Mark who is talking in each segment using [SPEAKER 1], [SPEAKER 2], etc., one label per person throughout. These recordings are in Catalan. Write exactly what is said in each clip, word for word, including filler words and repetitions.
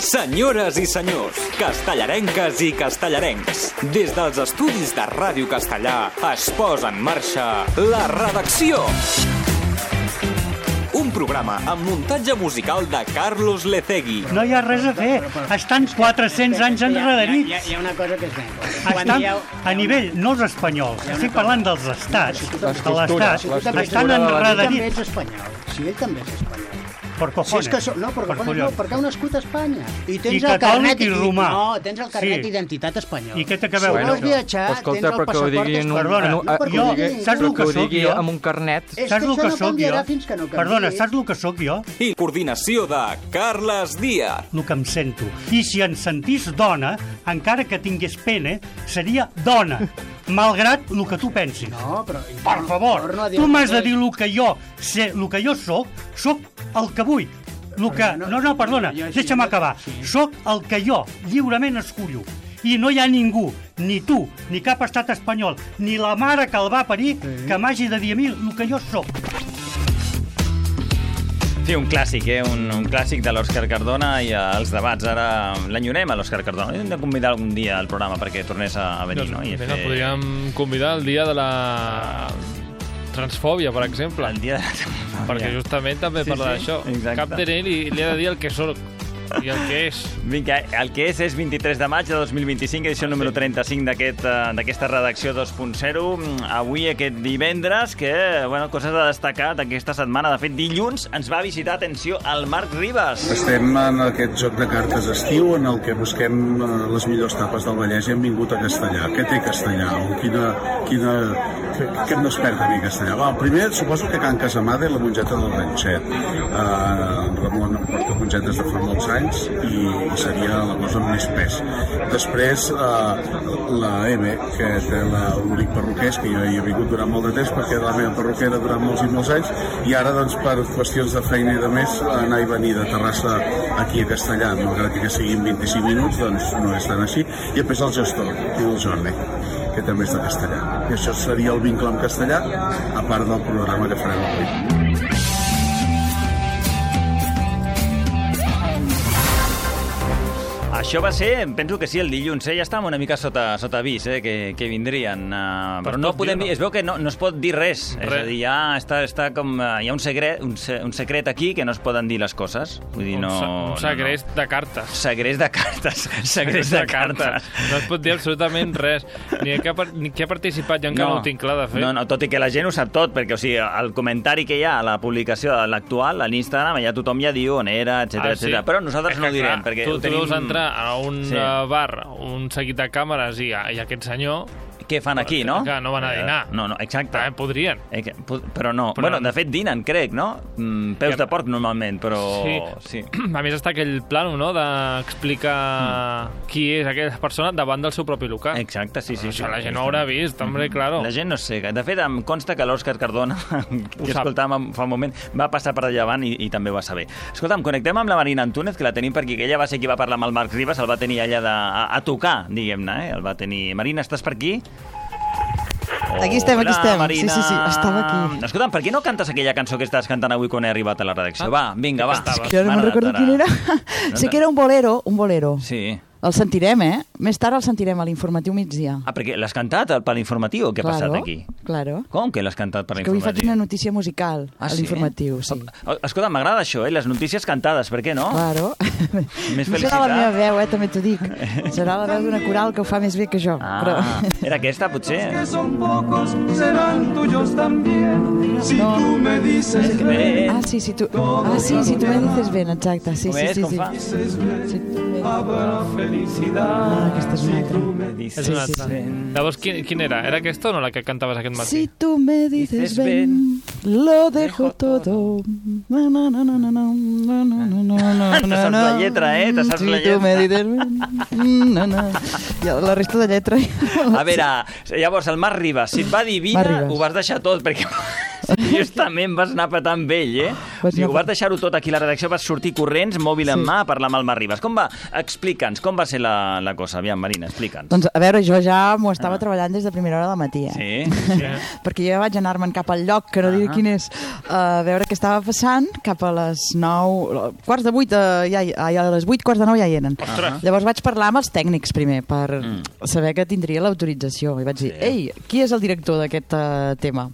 [SPEAKER 1] Senyores i senyors, castellarenques i castellarencs, des dels estudis de Ràdio Castellà es posa en marxa La Redacció. Un programa amb muntatge musical de Carlos Lecegui.
[SPEAKER 2] No hi ha res a fer, estan quatre-cents anys enrederits.
[SPEAKER 3] Hi ha, hi ha una cosa que és ben.
[SPEAKER 2] Estan dieu... a nivell, no els espanyols, estic parlant dels estats, de l'estat, estan enrederits.
[SPEAKER 3] Ell també és espanyol, sí, ell també és espanyol.
[SPEAKER 2] Per cojones.
[SPEAKER 3] Si és que so... No, per cojones no, perquè heu nascut a Espanya. I tens
[SPEAKER 2] I
[SPEAKER 3] el
[SPEAKER 2] catòlic
[SPEAKER 3] carnet...
[SPEAKER 2] i romà.
[SPEAKER 3] No, tens el carnet
[SPEAKER 2] Sí.
[SPEAKER 3] d'identitat espanyol.
[SPEAKER 2] I què té que veure?
[SPEAKER 3] Si vols viatjar,
[SPEAKER 4] Escolta,
[SPEAKER 3] tens el
[SPEAKER 4] perquè ho
[SPEAKER 3] passaport
[SPEAKER 4] digui en un-
[SPEAKER 2] Perdona,
[SPEAKER 4] en un-
[SPEAKER 3] No, perquè
[SPEAKER 2] jo,
[SPEAKER 3] ho digui-
[SPEAKER 2] saps el
[SPEAKER 4] que
[SPEAKER 2] que
[SPEAKER 4] ho
[SPEAKER 2] sóc
[SPEAKER 4] digui
[SPEAKER 2] jo?
[SPEAKER 4] amb un carnet.
[SPEAKER 3] És
[SPEAKER 2] Saps
[SPEAKER 3] que
[SPEAKER 2] el que
[SPEAKER 3] això no
[SPEAKER 2] sóc jo?
[SPEAKER 3] canviarà fins que no canviï.
[SPEAKER 2] Perdona, saps el que sóc jo?
[SPEAKER 1] I coordinació de Carles Díaz.
[SPEAKER 2] El que em sento. I si em sentís dona, encara que tingués pene, seria dona, malgrat el que tu pensis.
[SPEAKER 3] No, però...
[SPEAKER 2] Per favor,
[SPEAKER 3] torno a dir
[SPEAKER 2] tu
[SPEAKER 3] el
[SPEAKER 2] m'has de
[SPEAKER 3] mateix.
[SPEAKER 2] dir el que jo sé, el que jo soc, soc el que vull. El que...
[SPEAKER 3] no,
[SPEAKER 2] No, no, perdona,
[SPEAKER 3] jo així-
[SPEAKER 2] deixa'm acabar.
[SPEAKER 3] sí.
[SPEAKER 2] Soc el que jo lliurement escullo. I no hi ha ningú, ni tu, ni cap estat espanyol, ni la mare que el va parir, que m'hagi de dir a mi el que jo soc.
[SPEAKER 5] Sí, un clàssic, eh? Un, un clàssic de l'Òscar Cardona i els debats. Ara l'enyorem a l'Òscar Cardona. Hem de convidar algun dia al programa perquè tornés a venir, no? I
[SPEAKER 6] Mira, podríem convidar el dia de la transfòbia, per exemple.
[SPEAKER 5] El dia de...
[SPEAKER 6] Perquè justament també
[SPEAKER 5] Sí,
[SPEAKER 6] parla
[SPEAKER 5] sí,
[SPEAKER 6] d'això.
[SPEAKER 5] exacte.
[SPEAKER 6] Cap de ell li, li ha de dir el que sóc i el que és.
[SPEAKER 5] Vinga, el que és és vint-i-tres de maig de dos mil vint-i-cinc, edició número trenta-cinc d'aquest, eh, d'aquesta redacció dos punt zero. Avui, aquest divendres, que, bueno, coses a destacar d'aquesta setmana. De fet, dilluns ens va visitar, atenció, el Marc Ribas.
[SPEAKER 7] Estem en aquest joc de cartes estiu en el que busquem eh, les millors tapes del Vallès i hem vingut a Castellà. Què té Castellà? O quina, quina, què, què no es perd a mi Castellà? Va, primer, suposo que Can Casamada i la mongeta del Ranxet. Uh, Ramon em porta mongetes de fa molts anys i, i seria la cosa amb més pes. Després, uh, la M, que té l'únic perruquers, que jo hi he vingut durant molt de temps perquè la meva perruquera durant molts i molts anys, i ara, doncs, per qüestions de feina i de més, anar i venir de Terrassa aquí a Castellà, malgrat que siguin vint-i-cinc minuts, doncs no és tan així. I després el gestor, i el Jordi, que també és de Castellà. I això seria el vincle amb Castellà, a part del programa que farem avui.
[SPEAKER 5] Això va ser, penso que sí, el dilluns, eh? Ja estàvem una mica sota, sota avís, eh? Que, que vindrien. Uh, però no podem dir, es veu que no, no es pot dir res. res. És a dir, ja està, està com... Uh, hi ha un secret, un, se, un secret aquí que no es poden dir les coses. Vull dir, no...
[SPEAKER 6] Un, un segrest no, no. de cartes.
[SPEAKER 5] Segrest de cartes. Segrest de, de cartes.
[SPEAKER 6] No es pot dir absolutament res. Ni qui ha, ni qui ha participat, jo encara no, no ho tinc clar de fer.
[SPEAKER 5] No, no, tot i que la gent ho sap tot, perquè, o sigui, el comentari que hi ha a la publicació, a l'actual, a l'Instagram, ja tothom ja diu on era, etcètera,
[SPEAKER 6] ah, sí?
[SPEAKER 5] etcètera. Però nosaltres
[SPEAKER 6] és
[SPEAKER 5] no ho direm,
[SPEAKER 6] clar,
[SPEAKER 5] perquè
[SPEAKER 6] tu,
[SPEAKER 5] ho tenim...
[SPEAKER 6] Tu deus entrar a un
[SPEAKER 5] sí.
[SPEAKER 6] bar, un seguit de càmeres i, i aquest senyor...
[SPEAKER 5] Què fan aquí, no?
[SPEAKER 6] Que no van a dinar.
[SPEAKER 5] No, no, exacte.
[SPEAKER 6] Eh, podrien.
[SPEAKER 5] Eh, que, però no.
[SPEAKER 6] Però
[SPEAKER 5] bueno,
[SPEAKER 6] no.
[SPEAKER 5] de fet, dinen, crec, no? Mm, peus
[SPEAKER 6] Ja.
[SPEAKER 5] de porc, normalment, però...
[SPEAKER 6] Sí.
[SPEAKER 5] sí.
[SPEAKER 6] A més, està aquell plano, no?, d'explicar mm. qui és aquella persona davant del seu propi local.
[SPEAKER 5] Exacte, sí, sí.
[SPEAKER 6] Això
[SPEAKER 5] sí,
[SPEAKER 6] la gent
[SPEAKER 5] sí,
[SPEAKER 6] no ho haurà vist, hombre, claro.
[SPEAKER 5] La gent no sé. De fet, em consta que l'Òscar Cardona, que escoltàvem fa un moment, va passar per allà davant i, i també ho va saber. Escolta'm, connectem amb la Marina Antúnez, que la tenim per aquí, que ella va ser qui va parlar amb el Marc Ribas, el va tenir allà de, a, a tocar, diguem-ne, eh? El va tenir... Marina, estàs per aquí?
[SPEAKER 8] Aquí estem, aquí estem.
[SPEAKER 5] Marina.
[SPEAKER 8] Sí, sí, sí, estava aquí.
[SPEAKER 5] Escolta'm, per què no cantes aquella cançó que estàs cantant avui quan he arribat a la redacció? Va, vinga, va.
[SPEAKER 8] És que ara no me'n recordo quin era. Sé que era un bolero, un bolero.
[SPEAKER 5] Sí.
[SPEAKER 8] El sentirem, eh? Més tard el sentirem a l'informatiu migdia.
[SPEAKER 5] Ah, perquè l'has cantat per l'informatiu? Què ha
[SPEAKER 8] claro,
[SPEAKER 5] passat aquí?
[SPEAKER 8] Claro.
[SPEAKER 5] Com que l'has cantat per
[SPEAKER 8] És que avui
[SPEAKER 5] l'informatiu?
[SPEAKER 8] faig una notícia musical
[SPEAKER 5] Ah,
[SPEAKER 8] a
[SPEAKER 5] sí?
[SPEAKER 8] l'informatiu, sí.
[SPEAKER 5] Escolta, m'agrada això, eh? Les notícies cantades, per què no?
[SPEAKER 8] Claro.
[SPEAKER 5] Més
[SPEAKER 8] no serà la meva veu, eh? També t'ho dic. Serà la veu d'una coral que ho fa més bé que jo.
[SPEAKER 5] Ah,
[SPEAKER 8] però...
[SPEAKER 5] era aquesta, potser?
[SPEAKER 8] No. Ah, sí, si tu... Ah, sí, si tu me dices ben, exacte. Sí,
[SPEAKER 5] com
[SPEAKER 8] sí,
[SPEAKER 5] és?
[SPEAKER 8] sí,
[SPEAKER 5] Com
[SPEAKER 8] sí.
[SPEAKER 5] fa?
[SPEAKER 8] Si tu me... Ah, aquesta és una altra.
[SPEAKER 6] És una altra. Llavors, quin, quin era? Era aquesta o no la que cantaves aquest matí?
[SPEAKER 8] Si tu me dices ven, lo dejo todo. Na, na, na, na, na, na, na, na, na,
[SPEAKER 5] Te saps la lletra, eh? Te saps
[SPEAKER 8] si
[SPEAKER 5] la
[SPEAKER 8] tu me
[SPEAKER 5] lletra.
[SPEAKER 8] dices ven, na, na. I la resta de lletra...
[SPEAKER 5] A veure, llavors, el Marc Ribas, si et va dir vina,
[SPEAKER 8] Marc Ribas.
[SPEAKER 5] ho vas deixar tot, perquè Justament vas anar petant amb ell, eh? O sigui, ho vas deixar-ho tot aquí a la redacció, vas sortir corrents, mòbil en mà, a parlar amb el Marc Ribas. Com va? Explica'ns, com va ser la, la cosa? Aviam, Marina, explica'ns.
[SPEAKER 8] Doncs, a veure, jo ja m'ho estava ah. treballant des de primera hora del matí, eh?
[SPEAKER 5] Sí? Sí.
[SPEAKER 8] Perquè jo vaig anar-me'n cap al lloc, que no diré ah. quin és, a veure què estava passant, cap a les nou... Quarts de vuit, eh, ja, ja, a les vuit, quarts de nou ja hi eren.
[SPEAKER 6] Ostres.
[SPEAKER 8] Llavors vaig parlar amb els tècnics primer, per
[SPEAKER 5] Mm.
[SPEAKER 8] saber que tindria l'autorització. I vaig dir,
[SPEAKER 5] Sí.
[SPEAKER 8] ei, qui és el director d'aquest uh, tema?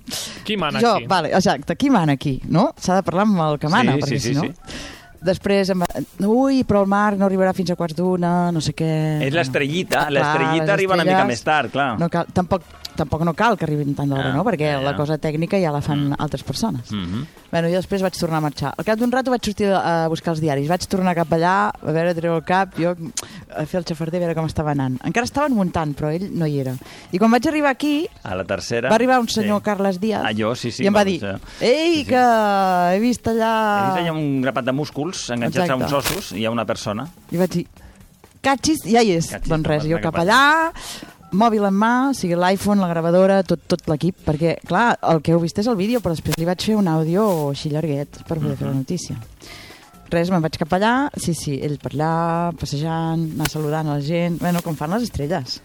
[SPEAKER 6] Qui mana
[SPEAKER 8] jo,
[SPEAKER 6] aquí?
[SPEAKER 8] Vale, exacte, qui mana aquí, no? S'ha de parlar amb el que mana,
[SPEAKER 5] Sí,
[SPEAKER 8] perquè
[SPEAKER 5] sí,
[SPEAKER 8] si
[SPEAKER 5] sí,
[SPEAKER 8] no...
[SPEAKER 5] sí.
[SPEAKER 8] Després em va... Ui, però el Marc no arribarà fins a quarts d'una, no sé què...
[SPEAKER 5] És l'estrellita,
[SPEAKER 8] Clar,
[SPEAKER 5] l'estrellita
[SPEAKER 8] les
[SPEAKER 5] arriba una mica
[SPEAKER 8] estrelles
[SPEAKER 5] més tard, clar.
[SPEAKER 8] No cal, tampoc, tampoc no cal que arribin tant d'hora,
[SPEAKER 5] Ah,
[SPEAKER 8] no? Perquè
[SPEAKER 5] ja, ja.
[SPEAKER 8] la cosa tècnica ja la fan altres persones.
[SPEAKER 5] Mhm.
[SPEAKER 8] Bueno, jo després vaig tornar a marxar. Al cap d'un rato vaig sortir a buscar els diaris. Vaig tornar cap allà, a veure, a treure el cap, jo a fer el xafarder, a veure com estava anant. Encara estaven muntant, però ell no hi era. I quan vaig arribar aquí,
[SPEAKER 5] A la tercera...
[SPEAKER 8] va arribar un senyor
[SPEAKER 5] sí.
[SPEAKER 8] Carles Díaz
[SPEAKER 5] Ah, jo, sí, sí.
[SPEAKER 8] i em va
[SPEAKER 5] va
[SPEAKER 8] dir,
[SPEAKER 5] ser.
[SPEAKER 8] ei,
[SPEAKER 5] Sí, sí.
[SPEAKER 8] que he vist allà...
[SPEAKER 5] He vist allà un grapat de músculs enganxats a
[SPEAKER 8] Exacte.
[SPEAKER 5] uns ossos i hi ha una persona.
[SPEAKER 8] I vaig dir, catxis, ja hi és.
[SPEAKER 5] Catxis,
[SPEAKER 8] doncs res,
[SPEAKER 5] no,
[SPEAKER 8] jo
[SPEAKER 5] no,
[SPEAKER 8] cap
[SPEAKER 5] cap
[SPEAKER 8] allà, mòbil en mà, o sigui, l'iPhone, la gravadora, tot, tot l'equip, perquè, clar, el que heu vist és el vídeo, però després li vaig fer un àudio així llarguet per poder fer la notícia. Res, me'n vaig cap allà, sí, sí, ell per allà, passejant, anar saludant a la gent, bueno, com fan les estrelles.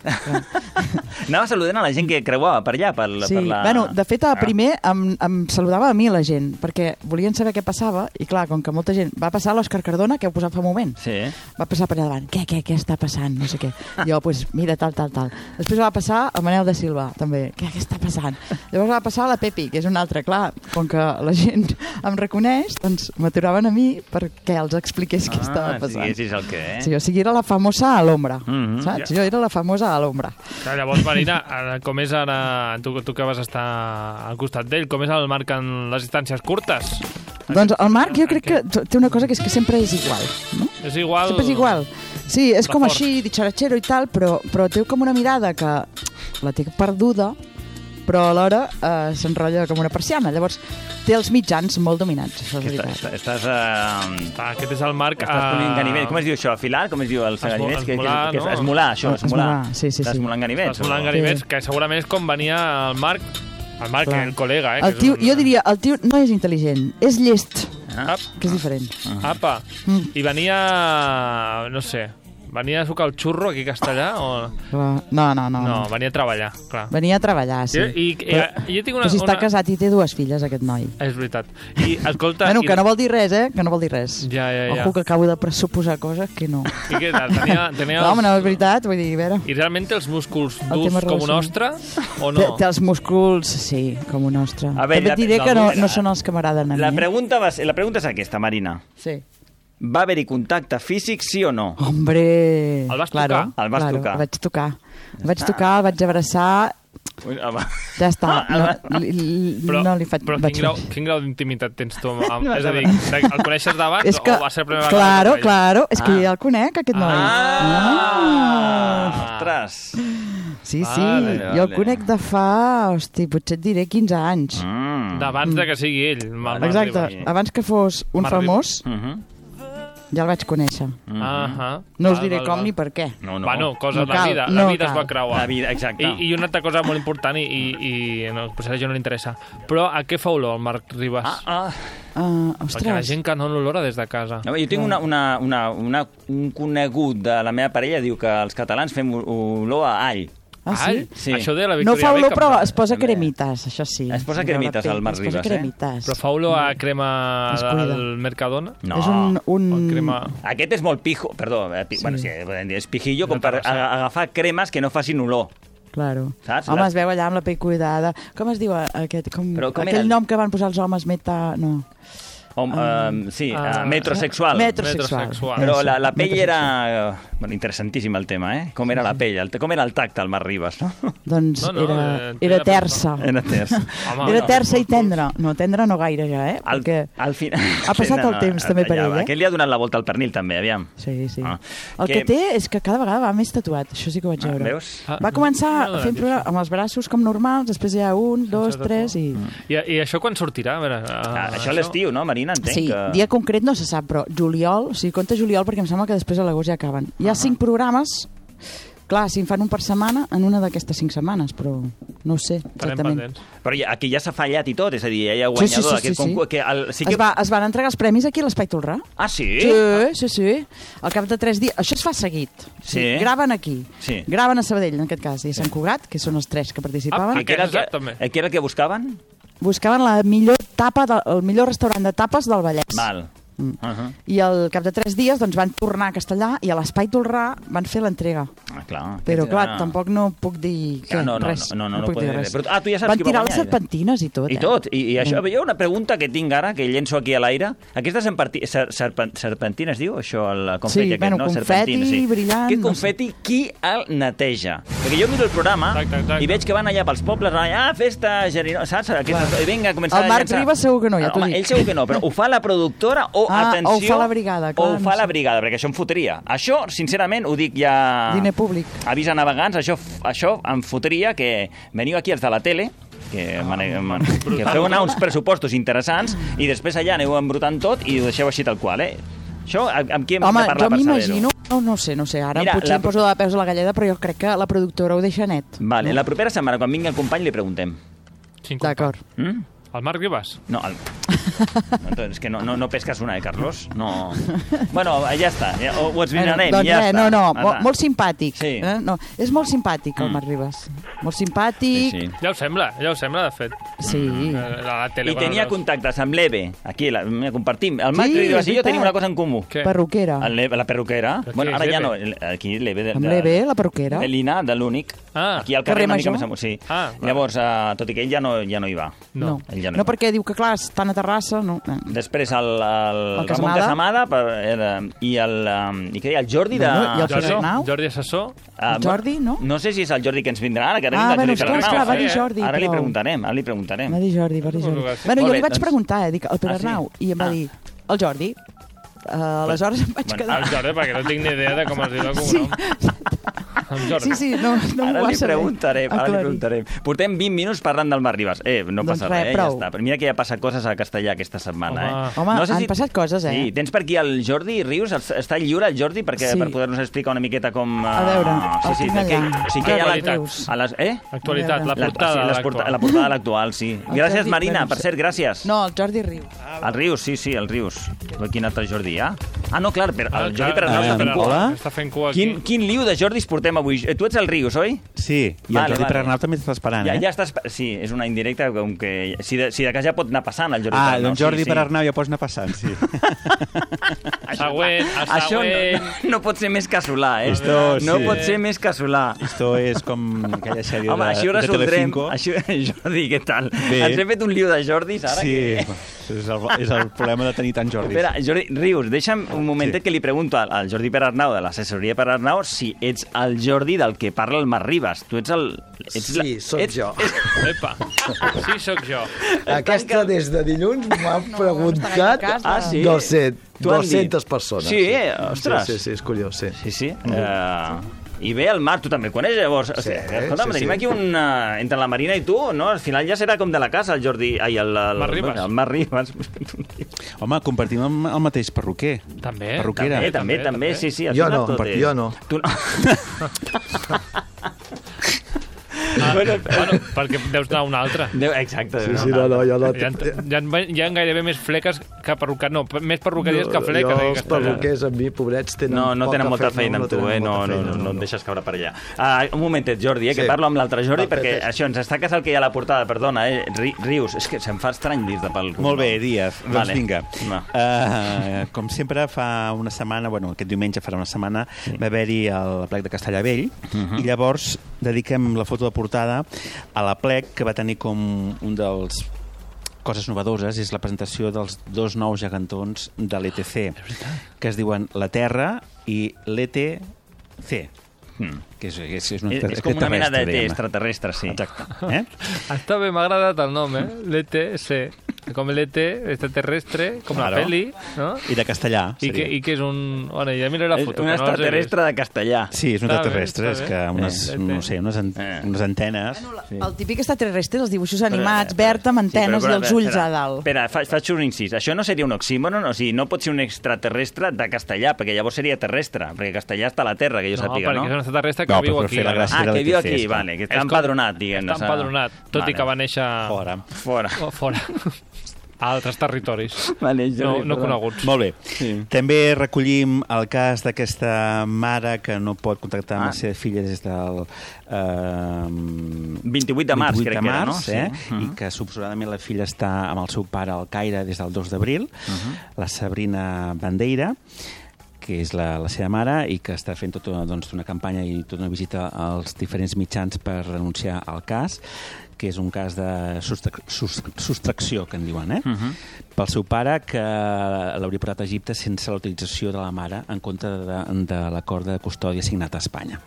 [SPEAKER 5] Anava saludant a la gent que creuava per allà, per,
[SPEAKER 8] Sí,
[SPEAKER 5] per la...
[SPEAKER 8] bueno, de fet,
[SPEAKER 5] Ah.
[SPEAKER 8] primer em, em saludava a mi la gent, perquè volien saber què passava, i clar, com que molta gent... Va passar l'Òscar Cardona, que heu posat fa un moment.
[SPEAKER 5] Sí.
[SPEAKER 8] Va passar per allà davant. Què, què, què està passant? No sé què. Jo, doncs, pues, mira, tal, tal, tal. Després va passar el Manel de Silva, també. Què, què està passant? Llavors va passar la Pepi, que és una altra. Clar, com que la gent em reconeix, doncs m'aturaven a mi perquè els expliqués què estava
[SPEAKER 5] Ah,
[SPEAKER 8] passant.
[SPEAKER 5] sí, és el que, eh?
[SPEAKER 8] Sí, o sigui, era la famosa a l'ombra,
[SPEAKER 5] Mhm,
[SPEAKER 8] saps?
[SPEAKER 6] ja.
[SPEAKER 8] Jo era la famosa a l'ombra.
[SPEAKER 6] Clar, llavors, Marina, ara, com és ara... Tu, tu que vas estar al costat d'ell, com és el Marc en les distàncies curtes?
[SPEAKER 8] Doncs el Marc jo crec que té una cosa que és que sempre és igual, no?
[SPEAKER 6] És igual...
[SPEAKER 8] Sempre és igual. Sí, és
[SPEAKER 6] De
[SPEAKER 8] com
[SPEAKER 6] fort.
[SPEAKER 8] així, ditxaratxero i tal, però, però té com una mirada que la té perduda, però alhora eh, s'enrotlla com una persiana. Llavors, té els mitjans molt dominats, això és
[SPEAKER 5] Està,
[SPEAKER 8] veritat.
[SPEAKER 5] està, estàs... Uh,
[SPEAKER 6] Ah, aquest és el Marc...
[SPEAKER 5] estàs ponint ganivets. Com es diu això? Afilar? Com es diu els
[SPEAKER 6] Esmo-
[SPEAKER 5] ganivets? Que- que-
[SPEAKER 6] esmolar,
[SPEAKER 5] que és
[SPEAKER 6] no?
[SPEAKER 5] esmolar, això, esmolar.
[SPEAKER 8] Esmolar, sí, sí,
[SPEAKER 5] Estàs
[SPEAKER 8] sí.
[SPEAKER 5] esmolant ganivets?
[SPEAKER 6] Estàs volant
[SPEAKER 5] o-
[SPEAKER 6] ganivets,
[SPEAKER 8] Sí.
[SPEAKER 6] que segurament és com venia el Marc, el Marc,
[SPEAKER 8] Clar.
[SPEAKER 6] el col·lega, eh?
[SPEAKER 8] El
[SPEAKER 6] que
[SPEAKER 8] tio,
[SPEAKER 6] és un-
[SPEAKER 8] jo diria, el tio no és intel·ligent, és llest,
[SPEAKER 5] Ah.
[SPEAKER 8] que és diferent.
[SPEAKER 6] Apa,
[SPEAKER 8] Mm.
[SPEAKER 6] i venia... no sé... Venia a sucar el xurro aquí a Castellà o...
[SPEAKER 8] Clar. No, no, no.
[SPEAKER 6] No, venia a treballar, clar.
[SPEAKER 8] Venia a treballar, sí.
[SPEAKER 6] I, i,
[SPEAKER 8] Però-
[SPEAKER 6] i jo tinc una...
[SPEAKER 8] Però si està
[SPEAKER 6] una...
[SPEAKER 8] casat i té dues filles, aquest noi.
[SPEAKER 6] És veritat. I, escolta...
[SPEAKER 8] Bueno,
[SPEAKER 6] i...
[SPEAKER 8] que no vol dir res, eh? Que no vol dir res.
[SPEAKER 6] Ja, ja, ja.
[SPEAKER 8] Ojo, que acabo de pressuposar coses que no.
[SPEAKER 6] I què tal? Tenia, tenia
[SPEAKER 8] No, home, no,
[SPEAKER 6] els...
[SPEAKER 8] és veritat, vull dir, a veure...
[SPEAKER 6] I realment té els músculs
[SPEAKER 8] El
[SPEAKER 6] durs
[SPEAKER 8] tema
[SPEAKER 6] com un
[SPEAKER 8] relació.
[SPEAKER 6] ostre o
[SPEAKER 8] Té,
[SPEAKER 6] no?
[SPEAKER 8] té els músculs, sí, com un ostre.
[SPEAKER 5] A veure,
[SPEAKER 8] També et diré
[SPEAKER 5] la-
[SPEAKER 8] que no,
[SPEAKER 5] la-
[SPEAKER 8] no són els que m'agraden a mi.
[SPEAKER 5] La
[SPEAKER 8] eh?
[SPEAKER 5] pregunta, va ser, la pregunta és aquesta, Marina.
[SPEAKER 8] Sí.
[SPEAKER 5] Va haver-hi contacte físic, sí o no?
[SPEAKER 8] Hombre...
[SPEAKER 6] El vas
[SPEAKER 8] claro,
[SPEAKER 6] tocar?
[SPEAKER 5] El vas
[SPEAKER 8] claro,
[SPEAKER 5] tocar.
[SPEAKER 8] El vaig tocar. El vaig tocar, el vaig abraçar...
[SPEAKER 5] Ui, home.
[SPEAKER 8] Ja està.
[SPEAKER 5] Ah,
[SPEAKER 8] No, li, li,
[SPEAKER 6] Però,
[SPEAKER 8] no li faig...
[SPEAKER 6] però
[SPEAKER 8] vaig
[SPEAKER 6] quin, grau,
[SPEAKER 8] fer.
[SPEAKER 6] quin grau d'intimitat tens tu? Amb, amb,
[SPEAKER 8] No,
[SPEAKER 6] és a
[SPEAKER 8] no,
[SPEAKER 6] dir, de- el coneixes d'abans
[SPEAKER 8] És que,
[SPEAKER 6] o va ser la primera
[SPEAKER 8] claro,
[SPEAKER 6] vegada? que
[SPEAKER 8] claro, és que
[SPEAKER 5] Ah.
[SPEAKER 8] ja el conec, aquest noi.
[SPEAKER 5] Ah!
[SPEAKER 6] Ah.
[SPEAKER 5] Ostres!
[SPEAKER 8] Sí, sí,
[SPEAKER 6] Vale,
[SPEAKER 8] jo el
[SPEAKER 5] vale.
[SPEAKER 8] conec de fa, hosti, potser et diré quinze anys.
[SPEAKER 5] Mm.
[SPEAKER 6] D'abans de que sigui ell. el Marc
[SPEAKER 8] Exacte,
[SPEAKER 6] Ribas.
[SPEAKER 8] abans que fos un
[SPEAKER 6] Marc
[SPEAKER 8] famós,
[SPEAKER 5] Mhm.
[SPEAKER 8] ja el vaig conèixer.
[SPEAKER 6] Ahà.
[SPEAKER 8] No us
[SPEAKER 6] Val,
[SPEAKER 8] diré
[SPEAKER 6] val,
[SPEAKER 8] com
[SPEAKER 6] val.
[SPEAKER 8] ni per què.
[SPEAKER 5] No, no.
[SPEAKER 6] Bueno, coses
[SPEAKER 8] No
[SPEAKER 6] de
[SPEAKER 8] cal,
[SPEAKER 6] vida.
[SPEAKER 8] no
[SPEAKER 6] la vida es
[SPEAKER 8] cal.
[SPEAKER 6] va creuar.
[SPEAKER 5] La vida, exacte.
[SPEAKER 6] I, I una altra cosa molt important i, i, i no, potser a la gent no li interessa. Però a què fa olor el Marc Ribas?
[SPEAKER 5] Ah, ah.
[SPEAKER 8] Uh,
[SPEAKER 6] Perquè la
[SPEAKER 8] ostres,
[SPEAKER 6] gent que no l'olora des de casa.
[SPEAKER 5] No, jo tinc una, una, una, una, un conegut de la meva parella, diu que els catalans fem olor a all.
[SPEAKER 8] ah, sí?
[SPEAKER 5] Sí.
[SPEAKER 6] Això de la
[SPEAKER 8] No
[SPEAKER 6] Victoria
[SPEAKER 8] fa olor,
[SPEAKER 6] Beckham,
[SPEAKER 8] però es posa
[SPEAKER 5] També.
[SPEAKER 8] cremites, això sí.
[SPEAKER 5] Es posa
[SPEAKER 8] Allò a la
[SPEAKER 5] cremites
[SPEAKER 8] pell,
[SPEAKER 5] al Marc
[SPEAKER 8] Es posa
[SPEAKER 5] Ribas, eh?
[SPEAKER 8] cremites.
[SPEAKER 6] Però fa olor a crema
[SPEAKER 8] Es cuida.
[SPEAKER 6] del Mercadona?
[SPEAKER 5] No.
[SPEAKER 8] És un... un...
[SPEAKER 6] O crema...
[SPEAKER 5] Aquest és molt pijo, perdó, eh, pi,
[SPEAKER 8] Sí.
[SPEAKER 5] bueno, sí, podem dir, és pijillo
[SPEAKER 6] No
[SPEAKER 5] com per
[SPEAKER 6] t'arrasa.
[SPEAKER 5] a- agafar cremes que no facin olor.
[SPEAKER 8] Claro.
[SPEAKER 5] Saps?
[SPEAKER 8] Home,
[SPEAKER 5] La-
[SPEAKER 8] es veu allà amb la pell cuidada. Com es diu aquest... Com,
[SPEAKER 5] Però com
[SPEAKER 8] aquell
[SPEAKER 5] era el-
[SPEAKER 8] nom que van posar els homes, meta... No.
[SPEAKER 5] Hom, um, sí,
[SPEAKER 6] ah,
[SPEAKER 5] uh, metrosexual.
[SPEAKER 8] Metrosexual.
[SPEAKER 6] Metrosexual.
[SPEAKER 5] Però
[SPEAKER 8] Eso,
[SPEAKER 5] la, la pell
[SPEAKER 8] metrosexual.
[SPEAKER 5] era... Bueno, interessantíssim el tema, eh? Com era la pell, el, com era el tacte, el Marc Ribas, no?
[SPEAKER 8] Doncs
[SPEAKER 6] No, no,
[SPEAKER 8] era,
[SPEAKER 6] eh,
[SPEAKER 8] era
[SPEAKER 6] era
[SPEAKER 8] terça.
[SPEAKER 5] Era terç.
[SPEAKER 6] Home,
[SPEAKER 8] Era
[SPEAKER 6] no,
[SPEAKER 8] terça i
[SPEAKER 6] no,
[SPEAKER 8] tendra. No, tendra no gaire ja, eh?
[SPEAKER 5] Al,
[SPEAKER 8] Perquè...
[SPEAKER 5] al final...
[SPEAKER 8] Ha passat el temps, també, per ell, eh?
[SPEAKER 5] Aquest li ha donat la volta al pernil, també, aviam.
[SPEAKER 8] Sí, sí.
[SPEAKER 5] Ah.
[SPEAKER 8] El que...
[SPEAKER 5] Que-
[SPEAKER 8] té és que cada vegada va més tatuat. Això sí que ho vaig
[SPEAKER 5] Ah,
[SPEAKER 8] veure.
[SPEAKER 5] veus?
[SPEAKER 6] Ah,
[SPEAKER 8] Va començar
[SPEAKER 6] no, no,
[SPEAKER 8] fent
[SPEAKER 6] no,
[SPEAKER 8] programa amb els braços com normals, després hi ha un, dos,
[SPEAKER 6] tatuar.
[SPEAKER 8] tres i...
[SPEAKER 6] I, I això quan sortirà? A veure,
[SPEAKER 5] Ah,
[SPEAKER 6] uh,
[SPEAKER 5] això a l'estiu, no, Marina? Entenc
[SPEAKER 8] Sí,
[SPEAKER 5] que...
[SPEAKER 8] dia concret no se sap, però juliol, o sigui, compta juliol perquè em sembla que després a l'agost ja acaben. Hi ha cinc programes Clar, si en fan un per setmana, en una d'aquestes cinc setmanes, però no ho sé exactament.
[SPEAKER 5] Però ja, aquí ja s'ha fallat i tot, és a dir, ja hi ha guanyador
[SPEAKER 8] sí, sí, sí,
[SPEAKER 5] d'aquest
[SPEAKER 8] sí, sí.
[SPEAKER 5] concurs. Que el, sí que...
[SPEAKER 8] Es, va, es van entregar els premis aquí a l'Espai Tolrà.
[SPEAKER 5] Ah, sí?
[SPEAKER 8] Sí, sí, sí. Al cap de tres dies... Això es fa seguit.
[SPEAKER 5] Sí.
[SPEAKER 8] Graven aquí.
[SPEAKER 5] Sí.
[SPEAKER 8] Graven a Sabadell, en aquest cas, i a Sant Cugat, que són els tres que participaven.
[SPEAKER 5] Ah, què era, el que, què era el que buscaven?
[SPEAKER 8] Buscaven la millor tapa, de, el millor restaurant de tapes del Vallès.
[SPEAKER 5] Val.
[SPEAKER 8] Mm.
[SPEAKER 5] Uh -huh.
[SPEAKER 8] I al cap de tres dies doncs, van tornar a Castellà i a l'Espai Tolrà van fer l'entrega.
[SPEAKER 5] Ah, clar.
[SPEAKER 8] Però, clar,
[SPEAKER 5] era...
[SPEAKER 8] tampoc no puc dir què,
[SPEAKER 5] ah, no, no,
[SPEAKER 8] res.
[SPEAKER 5] No, no, no, no,
[SPEAKER 8] puc
[SPEAKER 5] no
[SPEAKER 8] dir
[SPEAKER 5] dir
[SPEAKER 8] res.
[SPEAKER 5] Però, ah, tu ja saps
[SPEAKER 8] van
[SPEAKER 5] qui va
[SPEAKER 8] tirar
[SPEAKER 5] guanyar,
[SPEAKER 8] les serpentines i tot,
[SPEAKER 5] I
[SPEAKER 8] eh?
[SPEAKER 5] tot. I, i això,
[SPEAKER 8] Mm.
[SPEAKER 5] hi ha una pregunta que tinc ara, que llenço aquí a l'aire. Aquestes serpenti... ser, serpen... serpentines, diu, això, el confeti
[SPEAKER 8] Sí,
[SPEAKER 5] aquest,
[SPEAKER 8] bueno,
[SPEAKER 5] no?
[SPEAKER 8] confeti
[SPEAKER 5] sí.
[SPEAKER 8] brillant,
[SPEAKER 5] Aquest
[SPEAKER 8] no
[SPEAKER 5] confeti, qui el neteja? Perquè jo miro el programa
[SPEAKER 6] Exacte, exacte.
[SPEAKER 5] i veig que van allà pels pobles, van allà, ah, festa, gerino, saps? Aquesta... I vinga, començar
[SPEAKER 8] El Marc
[SPEAKER 5] a llançar...
[SPEAKER 8] Ribas segur que no, ja t'ho
[SPEAKER 5] Home,
[SPEAKER 8] dic.
[SPEAKER 5] ell segur que no, però ho fa la productora o,
[SPEAKER 8] Ah,
[SPEAKER 5] atenció...
[SPEAKER 8] o ho fa la brigada, clar,
[SPEAKER 5] O ho
[SPEAKER 8] no
[SPEAKER 5] fa la
[SPEAKER 8] sé.
[SPEAKER 5] brigada, perquè això em fotria. Això, sincerament, ho dic ja...
[SPEAKER 8] Diner públic.
[SPEAKER 5] Avís a navegants, això, això em fotria que veniu aquí els de la tele, que, mane, man, que feu anar uns pressupostos interessants i després allà aneu embrutant tot i ho deixeu així tal qual, eh? Això, amb, amb qui hem
[SPEAKER 8] Home,
[SPEAKER 5] de parlar
[SPEAKER 8] jo
[SPEAKER 5] per saber-ho?
[SPEAKER 8] m'imagino... No, no sé, no sé. Ara
[SPEAKER 5] Mira,
[SPEAKER 8] potser
[SPEAKER 5] la-
[SPEAKER 8] em poso de peus a la galleda, però jo crec que la productora ho deixa net.
[SPEAKER 5] Vale, la propera setmana, quan vingui el company, li preguntem.
[SPEAKER 8] D'acord.
[SPEAKER 5] Mm?
[SPEAKER 6] El Marc Ribas?
[SPEAKER 5] No, el... no, és que no, no, no pesques una, eh, Carlos? No... Bueno, ja està, ja, ho, ho esbrinarem,
[SPEAKER 8] doncs
[SPEAKER 5] ja
[SPEAKER 8] res,
[SPEAKER 5] està.
[SPEAKER 8] no, no,
[SPEAKER 5] Ara.
[SPEAKER 8] molt, molt simpàtic.
[SPEAKER 5] Sí.
[SPEAKER 8] Eh? No, és molt simpàtic, el
[SPEAKER 5] Mm.
[SPEAKER 8] Marc Ribas. Molt simpàtic.
[SPEAKER 5] Sí, sí.
[SPEAKER 6] Ja ho sembla, ja ho sembla, de fet.
[SPEAKER 8] Sí.
[SPEAKER 6] Eh, La, la tele,
[SPEAKER 5] I tenia
[SPEAKER 6] quan el veus.
[SPEAKER 5] contactes amb l'Eve, aquí, la, mira, compartim. El Marc
[SPEAKER 8] Sí,
[SPEAKER 5] Ribas
[SPEAKER 8] és
[SPEAKER 5] i jo tenim
[SPEAKER 8] veritat.
[SPEAKER 5] una cosa en comú.
[SPEAKER 6] Què?
[SPEAKER 8] Perruquera.
[SPEAKER 5] El L'Eve, la perruquera.
[SPEAKER 6] Però
[SPEAKER 5] Bueno,
[SPEAKER 6] qui
[SPEAKER 5] ara
[SPEAKER 6] és
[SPEAKER 5] ja no,
[SPEAKER 6] l'Eve?
[SPEAKER 5] aquí l'Eve... De,
[SPEAKER 8] Amb
[SPEAKER 5] de-
[SPEAKER 8] l'Eve, la perruquera.
[SPEAKER 5] de l'Ina, de l'únic.
[SPEAKER 6] Ah.
[SPEAKER 5] Aquí al carrer,
[SPEAKER 8] Carrer
[SPEAKER 5] una mica
[SPEAKER 8] Major.
[SPEAKER 5] més amunt, sí.
[SPEAKER 6] Ah, vale.
[SPEAKER 5] Llavors, uh, tot i que ell ja no, ja no hi va.
[SPEAKER 8] No,
[SPEAKER 5] Ell ja no,
[SPEAKER 8] no
[SPEAKER 5] hi va.
[SPEAKER 8] perquè diu que, clar, estan a Terrassa, no. eh.
[SPEAKER 5] Després el, el,
[SPEAKER 8] El
[SPEAKER 5] Ramon
[SPEAKER 8] Casamada.
[SPEAKER 5] Casamada per, era, i el, um, i què, hi ha, el Jordi de...
[SPEAKER 8] Bueno, i el
[SPEAKER 6] Jordi,
[SPEAKER 8] Arnau?
[SPEAKER 6] Jordi Assessor.
[SPEAKER 5] Ah,
[SPEAKER 8] El Jordi, no?
[SPEAKER 5] No sé si és el Jordi que ens vindrà ara, que ara
[SPEAKER 8] Ah,
[SPEAKER 5] vindrà
[SPEAKER 8] bueno,
[SPEAKER 5] el Jordi
[SPEAKER 8] esclar,
[SPEAKER 5] Arnau.
[SPEAKER 8] esclar, va dir
[SPEAKER 5] Eh?
[SPEAKER 8] Jordi,
[SPEAKER 5] Ara li
[SPEAKER 8] però-
[SPEAKER 5] preguntarem, ara li preguntarem.
[SPEAKER 8] Va dir Jordi, va dir Jordi.
[SPEAKER 6] Suposo que sí.
[SPEAKER 8] Bueno,
[SPEAKER 5] Molt
[SPEAKER 8] jo
[SPEAKER 5] bé,
[SPEAKER 8] li vaig
[SPEAKER 5] doncs-
[SPEAKER 8] preguntar, eh, dic, el Pere
[SPEAKER 5] Ah, sí?
[SPEAKER 8] Arnau, i em va
[SPEAKER 5] Ah.
[SPEAKER 8] dir, el Jordi. Uh, aleshores em vaig
[SPEAKER 5] Bueno,
[SPEAKER 8] quedar...
[SPEAKER 6] El Jordi, perquè no tinc ni idea de com es diu el
[SPEAKER 8] Sí.
[SPEAKER 6] cognom. El Jordi.
[SPEAKER 8] Sí, sí, no, no
[SPEAKER 5] Ara
[SPEAKER 8] m'ho va
[SPEAKER 5] li
[SPEAKER 8] saber
[SPEAKER 5] preguntarem, ara li
[SPEAKER 8] aclarir.
[SPEAKER 5] preguntarem. Portem vint minuts parlant del Marc Ribas. Eh, no
[SPEAKER 8] Doncs
[SPEAKER 5] passa
[SPEAKER 8] res,
[SPEAKER 5] res, eh,
[SPEAKER 8] prou.
[SPEAKER 5] ja està. Però mira que ja passa coses a Castellà aquesta setmana,
[SPEAKER 6] Home.
[SPEAKER 5] eh?
[SPEAKER 8] Home,
[SPEAKER 5] sé
[SPEAKER 8] han passat coses, eh?
[SPEAKER 5] Sí, tens per aquí el Jordi Rius, està lliure el Jordi perquè,
[SPEAKER 8] Sí.
[SPEAKER 5] per poder-nos explicar una miqueta com...
[SPEAKER 8] A veure,
[SPEAKER 5] sí,
[SPEAKER 8] el
[SPEAKER 5] sí,
[SPEAKER 8] tinc
[SPEAKER 5] perquè,
[SPEAKER 8] allà.
[SPEAKER 5] o sigui que hi ha la,
[SPEAKER 6] Actualitats.
[SPEAKER 5] a les, eh?
[SPEAKER 6] Actualitat, la
[SPEAKER 8] La-
[SPEAKER 6] portada
[SPEAKER 5] sí,
[SPEAKER 6] de
[SPEAKER 5] les porta,
[SPEAKER 6] l'actual.
[SPEAKER 5] la portada de l'actual, sí.
[SPEAKER 8] El
[SPEAKER 5] Gràcies,
[SPEAKER 8] Jordi
[SPEAKER 5] Marina,
[SPEAKER 8] Rius.
[SPEAKER 5] per cert, gràcies.
[SPEAKER 8] No, el Jordi Riu.
[SPEAKER 5] El Rius, sí, sí, el Rius. Quin altre Jordi hi ha? Ah, no, clar, però
[SPEAKER 6] Ah,
[SPEAKER 5] el
[SPEAKER 6] clar,
[SPEAKER 5] Jordi Pere Arnau
[SPEAKER 6] eh,
[SPEAKER 5] està fent
[SPEAKER 6] Pere
[SPEAKER 5] cua.
[SPEAKER 6] Arnau Està fent cua aquí.
[SPEAKER 5] Quin, quin liu de Jordis portem avui? Tu ets el Rius, oi?
[SPEAKER 4] Sí, i
[SPEAKER 5] Vale,
[SPEAKER 4] el Jordi
[SPEAKER 5] vale.
[SPEAKER 4] Pere Arnau també està esperant,
[SPEAKER 5] Ja,
[SPEAKER 4] eh?
[SPEAKER 5] ja estàs... Sí, és una indirecta com que... Si de, si de cas ja pot anar passant el Jordi
[SPEAKER 4] Ah,
[SPEAKER 5] Pere Arnau.
[SPEAKER 4] doncs Jordi
[SPEAKER 5] sí, sí.
[SPEAKER 4] Pere Arnau ja pots anar passant, sí.
[SPEAKER 6] Següent, el
[SPEAKER 5] Això
[SPEAKER 6] següent.
[SPEAKER 5] no, no pot ser més casolà, eh?
[SPEAKER 4] Esto,
[SPEAKER 5] no
[SPEAKER 4] sí.
[SPEAKER 5] pot ser més casolà.
[SPEAKER 4] Esto és com aquella sèrie
[SPEAKER 5] Home,
[SPEAKER 4] de,
[SPEAKER 5] així ho
[SPEAKER 4] de
[SPEAKER 5] resoldrem.
[SPEAKER 4] Telecinco.
[SPEAKER 5] Així, Jordi, què tal?
[SPEAKER 4] Bé.
[SPEAKER 5] Ens hem fet un liu de Jordis ara.
[SPEAKER 4] Sí,
[SPEAKER 5] Que...
[SPEAKER 4] és el, és el problema de tenir tants Jordis.
[SPEAKER 5] Espera, Jordi, Rius, deixa'm un momentet
[SPEAKER 4] Sí.
[SPEAKER 5] que li pregunto al, al Jordi Pere Arnau de l'assessoria Pere Arnau si ets el Jordi del que parla el Marc Ribas. Tu ets el... Ets
[SPEAKER 9] Sí, sóc
[SPEAKER 5] ets,
[SPEAKER 9] jo.
[SPEAKER 5] Ets,
[SPEAKER 6] Epa, sí, sóc jo.
[SPEAKER 9] Aquesta des de dilluns m'ha preguntat
[SPEAKER 8] gaire cas,
[SPEAKER 5] Ah, sí?
[SPEAKER 9] doscents,
[SPEAKER 5] T'ho han
[SPEAKER 9] dues-centes
[SPEAKER 5] dit?
[SPEAKER 9] persones.
[SPEAKER 5] Sí, eh? Ostres.
[SPEAKER 9] Sí, sí, sí, és curiós, sí.
[SPEAKER 5] Sí, sí. Uh, I bé, el Marc, tu també el coneixes, llavors.
[SPEAKER 9] Sí,
[SPEAKER 5] Escolta'm,
[SPEAKER 9] sí,
[SPEAKER 5] tenim
[SPEAKER 9] sí.
[SPEAKER 5] aquí un... Uh, entre la Marina i tu, no? Al final ja serà com de la casa, el Jordi... Ai, el... el
[SPEAKER 6] Marc Ribas.
[SPEAKER 5] El Marc Ribas.
[SPEAKER 4] Home, compartim amb el mateix perruquer.
[SPEAKER 6] També.
[SPEAKER 4] Perruquera.
[SPEAKER 5] També, també, també, sí, sí. al
[SPEAKER 9] Jo
[SPEAKER 5] final
[SPEAKER 9] no,
[SPEAKER 5] tot és-
[SPEAKER 9] jo no.
[SPEAKER 5] Tu no.
[SPEAKER 6] Ah, bueno, perquè deus anar a un altre.
[SPEAKER 5] Déu, exacte.
[SPEAKER 9] Sí, sí, no, no, jo no...
[SPEAKER 6] Hi ha, hi, ha, hi ha gairebé més fleques que perruqueries. No, més perruqueries que fleques.
[SPEAKER 9] Jo,
[SPEAKER 6] aquí a
[SPEAKER 9] els
[SPEAKER 6] Castellà.
[SPEAKER 9] perruquers amb mi, pobrets, tenen
[SPEAKER 5] No, no tenen molta
[SPEAKER 9] feina,
[SPEAKER 5] feina amb tu,
[SPEAKER 9] tenen
[SPEAKER 5] eh? No,
[SPEAKER 9] molta
[SPEAKER 5] no,
[SPEAKER 9] feina,
[SPEAKER 5] no, no et deixes caure per allà. Uh, un momentet, Jordi, eh, que
[SPEAKER 9] Sí.
[SPEAKER 5] parlo amb l'altre Jordi,
[SPEAKER 9] Va,
[SPEAKER 5] perquè
[SPEAKER 9] fes, fes.
[SPEAKER 5] això, ens està casat que hi ha a la portada, perdona, eh? Ri, Rius, és que se'm fa estrany dir-te pel...
[SPEAKER 4] Molt bé, Díaz. Doncs
[SPEAKER 5] Vale.
[SPEAKER 4] vinga.
[SPEAKER 5] Va.
[SPEAKER 4] Uh, com sempre, fa una setmana, bueno, aquest diumenge farà una setmana, sí. va haver-hi el plec de Castellavell, uh -huh. i llavors dediquem la foto de portada a la plec que va tenir com un dels coses novedoses, és la presentació dels dos nous gegantons de l'E T C, que es diuen La Terra i l'E T C.
[SPEAKER 5] Mm.
[SPEAKER 4] Que és, és, és, un
[SPEAKER 5] És, és com una mena de
[SPEAKER 4] diguem-ne.
[SPEAKER 5] extraterrestre, sí.
[SPEAKER 4] Exacte. Eh?
[SPEAKER 6] Està bé, m'ha agradat el nom, eh? L'E T C. com el E T, extraterrestre, com claro. La peli, no?
[SPEAKER 4] I de castellà.
[SPEAKER 6] I que, I que és un... Bueno, ja miraré la foto.
[SPEAKER 5] Un extraterrestre de castellà.
[SPEAKER 4] Sí, és un extraterrestre, és que unes, eh, no sé, unes, an eh. unes antenes...
[SPEAKER 8] Bueno, la, sí. El típic extraterrestre, els dibuixos animats, però, verd amb antenes sí, però, però, i els ulls espera, a dalt.
[SPEAKER 5] Espera, fa, faig un incís. Això no seria un oxímoron? O sigui, no pot ser un extraterrestre de castellà, perquè llavors seria terrestre, perquè castellà està a la Terra, que jo
[SPEAKER 6] no,
[SPEAKER 5] sàpiga, no?
[SPEAKER 6] No, perquè és un extraterrestre que no, viu aquí.
[SPEAKER 5] Ah, que viu aquí, vale, que està empadronat, diguem-ne.
[SPEAKER 6] Està empadronat, tot vale. I que va néixer...
[SPEAKER 4] Fora.
[SPEAKER 6] Fora. Oh, fora. A altres territoris.
[SPEAKER 5] Vale,
[SPEAKER 6] no, no coneguts.
[SPEAKER 4] Molt bé. Sí. També recollim el cas d'aquesta mare que no pot contactar amb ah. la seva filla des del... Uh,
[SPEAKER 5] vint-i-vuit de març, crec
[SPEAKER 4] de març,
[SPEAKER 5] que era, no?
[SPEAKER 4] Eh?
[SPEAKER 5] Sí. Uh -huh.
[SPEAKER 4] I que suposadament la filla està amb el seu pare al Caire des del dos d'abril, uh -huh. la Sabrina Bandeira, que és la, la seva mare, i que està fent tota doncs, una campanya i tota una visita als diferents mitjans per renunciar al cas, que és un cas de sustrac sustracció, que en diuen, eh? Uh -huh. pel seu pare, que l'hauria portat a Egipte sense l'autorització de la mare en compte de, de l'acord de custòdia signat a Espanya.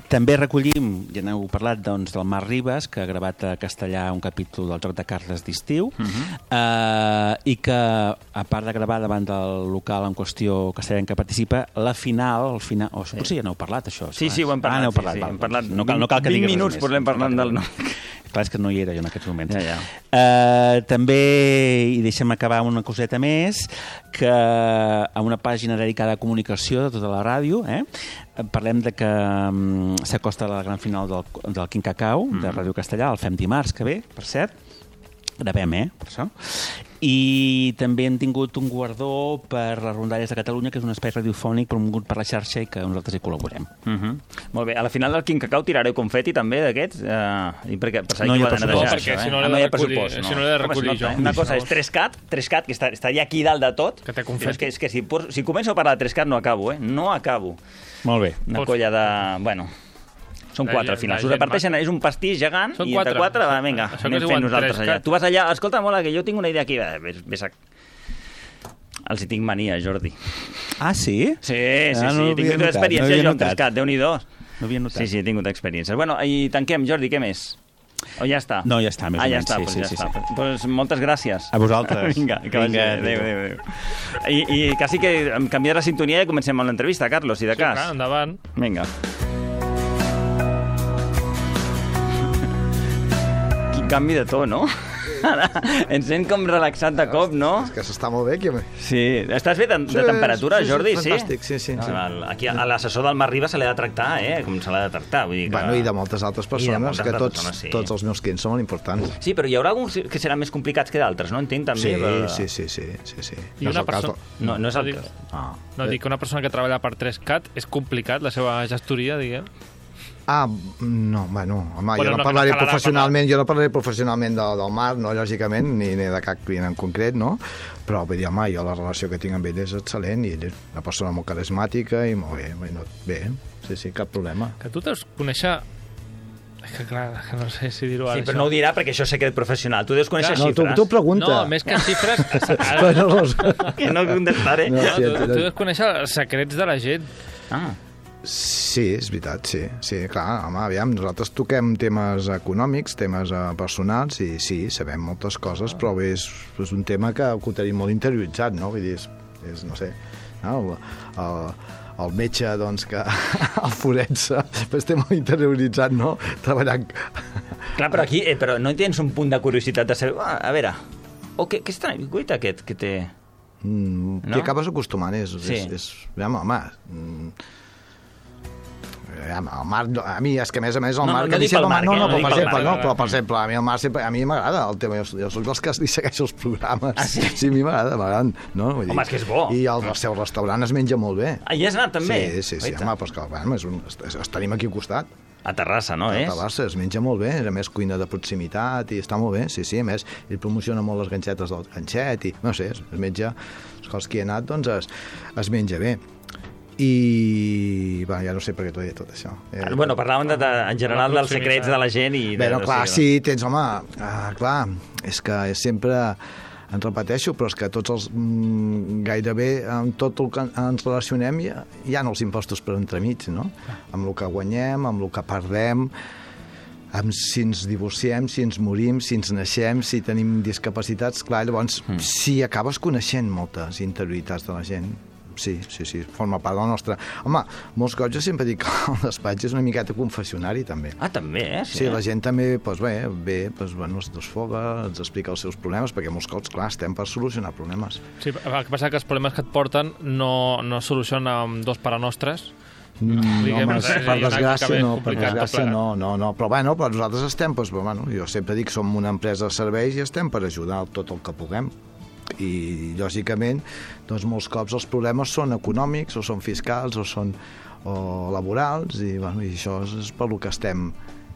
[SPEAKER 4] També recollim, ja n'heu parlat, doncs, del Marc Ribas, que ha gravat a castellà un capítol del Joc de Cartes d'estiu, uh -huh. eh, i que, a part de gravar davant del local en qüestió castellà en què participa, la final... El final oh, potser ja n'heu parlat, això.
[SPEAKER 5] Sí, sí, ho hem parlat.
[SPEAKER 4] Ah, parlat,
[SPEAKER 5] sí, sí,
[SPEAKER 4] val,
[SPEAKER 5] hem parlat
[SPEAKER 4] no cal, no cal que
[SPEAKER 5] vint
[SPEAKER 4] diguis
[SPEAKER 5] minuts parlem parlant del nom.
[SPEAKER 4] Clar, és que no hi era jo en aquests moments.
[SPEAKER 5] Ja, ja.
[SPEAKER 4] Uh, també, i deixem acabar amb una coseta més, que a una pàgina dedicada a comunicació de tota la ràdio, eh, parlem de que um, s'acosta la gran final del, del Quin Cacau, mm. de Ràdio Castellà, el fem dimarts que ve, per cert. Gravem, eh, per això. I també hem tingut un guardó per les Rondalles de Catalunya, que és un espai radiofònic promogut per la xarxa i que nosaltres hi col·laborem.
[SPEAKER 5] Uh -huh. Molt bé. A la final del Quin Cacau tirareu confeti també d'aquests? Uh, perquè, per
[SPEAKER 4] no hi ha
[SPEAKER 5] pressupost.
[SPEAKER 6] No, perquè si no l'he de recollir, si no l'he de recollir jo.
[SPEAKER 5] Una cosa és tres cat, tres cat, que està, està ja aquí dalt de tot.
[SPEAKER 6] Que té confeti.
[SPEAKER 5] És que, és que si, si començo a parlar de tres cat no acabo, eh? No acabo.
[SPEAKER 4] Molt bé.
[SPEAKER 5] Una colla de... Bueno... Són quatre, al final. S'ho reparteixen, és un pastís gegant, i entre quatre, va, vinga, anem fent nosaltres allà. Tu vas allà, escolta, mola, que jo tinc una idea aquí. Ves a... Els hi tinc mania, Jordi.
[SPEAKER 4] Ah, sí?
[SPEAKER 5] Sí, sí, sí, he tingut experiència jo amb Trescat, Déu-n'hi-do.
[SPEAKER 4] No havia notat.
[SPEAKER 5] Sí, sí, he tingut experiències. Bueno, i tanquem, Jordi, què més? O ja està?
[SPEAKER 4] No, ja està, més
[SPEAKER 5] ah,
[SPEAKER 4] o
[SPEAKER 5] ja
[SPEAKER 4] menys.
[SPEAKER 5] Està,
[SPEAKER 4] sí,
[SPEAKER 5] doncs
[SPEAKER 4] sí,
[SPEAKER 5] ja
[SPEAKER 4] sí,
[SPEAKER 5] està.
[SPEAKER 4] sí.
[SPEAKER 5] Pues moltes gràcies.
[SPEAKER 4] A vosaltres.
[SPEAKER 5] Vinga, que vagi. Adéu, adéu, adéu. I, I quasi que em canviarà la sintonia i comencem amb l'entrevista, Carlos, si de cas.
[SPEAKER 6] Sí, clar, endavant.
[SPEAKER 5] Vinga. Canvi de to, no? Ens sent com relaxat de cop, no?
[SPEAKER 9] És que s'està molt bé aquí.
[SPEAKER 5] Sí. Estàs bé de, de temperatura,
[SPEAKER 9] sí, sí,
[SPEAKER 5] Jordi?
[SPEAKER 9] Sí, fantàstic, sí, sí. sí.
[SPEAKER 5] Aquí a l'assessor del Marc Ribas se l'ha de tractar, eh? Com se l'ha de tractar. Vull dir que...
[SPEAKER 9] Bueno, i de moltes altres persones, moltes que tots, persones, sí. tots els meus clients són molt importants.
[SPEAKER 5] Sí, però hi haurà alguns que seran més complicats que d'altres, no? Entenc, també.
[SPEAKER 9] Sí,
[SPEAKER 5] però...
[SPEAKER 9] sí, sí, sí, sí, sí.
[SPEAKER 6] I no una persona...
[SPEAKER 5] No, no és el
[SPEAKER 6] cas.
[SPEAKER 5] Ah.
[SPEAKER 6] No, dic que una persona que treballa per tres cat és complicat, la seva gestoria, diguem.
[SPEAKER 9] Ah, no, bueno, home,
[SPEAKER 6] bueno,
[SPEAKER 9] jo no, no parlaré professionalment, jo no parlaré professionalment del, del Marc, no, lògicament, ni, ni de cap client en concret, no? Però, vull dir, home, jo la relació que tinc amb ell és excel·lent i ell és una persona molt carismàtica i molt bé, no, bé, sí, sí, cap problema.
[SPEAKER 6] Que tu deus conèixer... És que clar, que no sé si dir-ho ara.
[SPEAKER 5] Sí, però això. No ho dirà perquè això és secret professional. Tu deus conèixer
[SPEAKER 9] clar,
[SPEAKER 5] xifres.
[SPEAKER 9] No, tu, tu pregunta.
[SPEAKER 6] No, més que xifres...
[SPEAKER 5] que no contestaré.
[SPEAKER 6] No, tu, tu deus conèixer els secrets de la gent.
[SPEAKER 5] Ah.
[SPEAKER 9] Sí, és veritat, sí. Sí, clar, home, aviam, nosaltres toquem temes econòmics, temes uh, personals, i sí, sabem moltes coses, però bé, és, és un tema que ho tenim molt interioritzat, no? Vull dir, és, és no sé, no? El, el, el metge, doncs, que el forense, pues té molt interioritzat, no? Treballant...
[SPEAKER 5] Clar, però aquí, eh, però no tens un punt de curiositat de saber, ah, a veure, o què, què estrany, guaita aquest que té...
[SPEAKER 9] Mm, no? T'hi acabes acostumant, és... Sí. és, és home, home... Mm, el Marc, a mi és que a més a més el
[SPEAKER 5] no,
[SPEAKER 9] Marc...
[SPEAKER 5] No, no dic pel Marc,
[SPEAKER 9] no, no,
[SPEAKER 5] no,
[SPEAKER 9] per,
[SPEAKER 5] no
[SPEAKER 9] exemple,
[SPEAKER 5] Marc,
[SPEAKER 9] no, però per exemple, a mi el Marc sempre, a mi m'agrada el tema, jo, jo soc dels que li segueixo els programes.
[SPEAKER 5] Ah, sí?
[SPEAKER 9] Sí, a mi m'agrada, m'agraden. No?
[SPEAKER 5] Home, és que és bo.
[SPEAKER 9] I el, el seu restaurant es menja molt bé.
[SPEAKER 5] Ah, hi has anat també?
[SPEAKER 9] Sí, sí, sí, home, però és que bueno, és un, es, es tenim aquí al costat.
[SPEAKER 5] A Terrassa, no, és?
[SPEAKER 9] A Terrassa es menja molt bé, a més cuina de proximitat i està molt bé, sí, sí, a més ell promociona molt les ganxetes del ganxet i, no sé, es, es menja, els que hi ha anat, doncs es, es menja bé. I bueno, ja no sé per què t'ho he dit tot això. Eh,
[SPEAKER 5] bueno, parlàvem de, de, en general dels secrets de la gent i... De,
[SPEAKER 9] bueno, clar,
[SPEAKER 5] de...
[SPEAKER 9] sí, tens, home, uh, clar, és que és sempre, en repeteixo, però és que tots els, mm, gairebé, amb tot el que ens relacionem hi ha, hi ha els impostos per entremig, no? Amb el que guanyem, amb el que perdem, amb, si ens divorciem, si ens morim, si ens naixem, si tenim discapacitats, clar, llavors mm. sí, acabes coneixent moltes interioritats de la gent. Sí, sí, sí, forma part del nostre... Home, molts cops jo sempre dic que el despatx és una miqueta confessionari, també.
[SPEAKER 5] Ah, també, eh?
[SPEAKER 9] Sí, sí la gent també, doncs bé, bé doncs, bueno, es desfoga, ens explica els seus problemes, perquè molts cops, clar, estem per solucionar problemes.
[SPEAKER 6] Sí, el que passa que els problemes que et porten no, no es solucionen amb dos parenostres.
[SPEAKER 9] No, home, per desgràcia no, per desgràcia no, no, no, però bueno, però nosaltres estem, doncs, bueno, jo sempre dic que som una empresa de serveis i estem per ajudar tot el que puguem. I lògicament doncs molts cops els problemes són econòmics o són fiscals o són o laborals i, bueno, i això és per lo que estem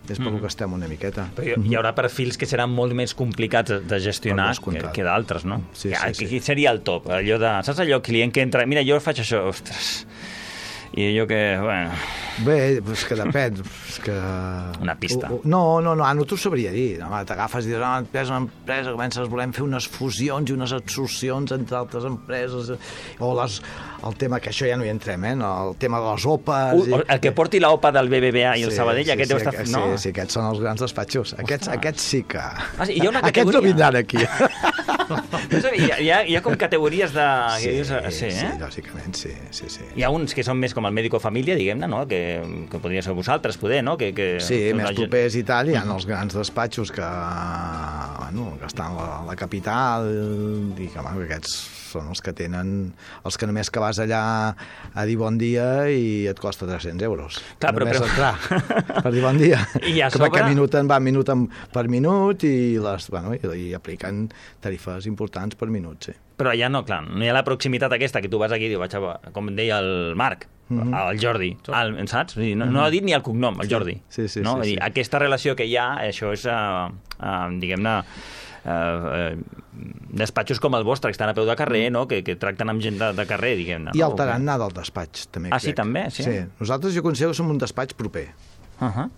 [SPEAKER 9] és per mm. lo que estem una miqueta.
[SPEAKER 5] Però hi haurà perfils que seran molt més complicats de gestionar que, que d'altres, no?
[SPEAKER 9] Sí,
[SPEAKER 5] que,
[SPEAKER 9] sí,
[SPEAKER 5] que
[SPEAKER 9] sí.
[SPEAKER 5] seria el top, allò de, saps allò client que entra, mira, jo faig això, ostres, i jo que, bueno...
[SPEAKER 9] Bé, és que depèn. És que...
[SPEAKER 5] Una pista.
[SPEAKER 9] No, no, no, no t'ho sabria dir. T'agafes i dius, ah, empresa, una empresa, comences, volem fer unes fusions i unes absorcions entre altres empreses, o les, el tema, que això ja no hi entrem, eh? El tema de les O P As...
[SPEAKER 5] Uh, el que porti l'O P A del B B V A i el
[SPEAKER 9] sí,
[SPEAKER 5] Sabadell,
[SPEAKER 9] sí,
[SPEAKER 5] aquest
[SPEAKER 9] sí,
[SPEAKER 5] deu estar...
[SPEAKER 9] Sí,
[SPEAKER 5] no?
[SPEAKER 9] sí, aquests són els grans despatxos. Aquests, aquests sí que...
[SPEAKER 5] Ah, sí, hi ha una
[SPEAKER 9] categoria. Aquests no vindran aquí.
[SPEAKER 5] No sé, hi, ha, hi, ha, hi ha com categories de...
[SPEAKER 9] Sí,
[SPEAKER 5] sí, eh?
[SPEAKER 9] sí, lògicament, sí, sí, sí.
[SPEAKER 5] Hi ha uns que són més com el mèdico família, diguem-ne, no? Que, que podria ser vosaltres, poder, no? Que, que,
[SPEAKER 9] sí,
[SPEAKER 5] que
[SPEAKER 9] més
[SPEAKER 5] gent...
[SPEAKER 9] propers i tal, hi ha els grans despatxos que, bueno, que estan a la, a la capital i que, bueno, aquests són els que tenen, els que només que vas allà a dir bon dia i et costa tres-cents euros.
[SPEAKER 5] Clar, però,
[SPEAKER 9] només
[SPEAKER 5] però...
[SPEAKER 9] entrar per dir bon dia.
[SPEAKER 5] I a
[SPEAKER 9] que
[SPEAKER 5] sobre...
[SPEAKER 9] perquè minut en va minut en, per minut i, les, bueno, i, i apliquen tarifes importants per minut, sí.
[SPEAKER 5] Però allà no, clar, no hi ha la proximitat aquesta que tu vas aquí i dius, vaig a, com deia el Marc, mm-hmm. el Jordi, el, saps? No, no ha dit ni el cognom, el Jordi.
[SPEAKER 9] Sí, sí, sí,
[SPEAKER 5] no?
[SPEAKER 9] sí, sí.
[SPEAKER 5] Aquesta relació que hi ha, això és, uh, uh, diguem-ne, uh, uh, despatxos com el vostre, que estan a peu de carrer, no? que, que tracten amb gent de, de carrer, diguem-ne.
[SPEAKER 9] I
[SPEAKER 5] no?
[SPEAKER 9] el tarannà del despatx, també.
[SPEAKER 5] Ah,
[SPEAKER 9] crec.
[SPEAKER 5] sí, també? Sí.
[SPEAKER 9] sí. Nosaltres, jo considero que som un despatx proper.
[SPEAKER 5] Uh-huh.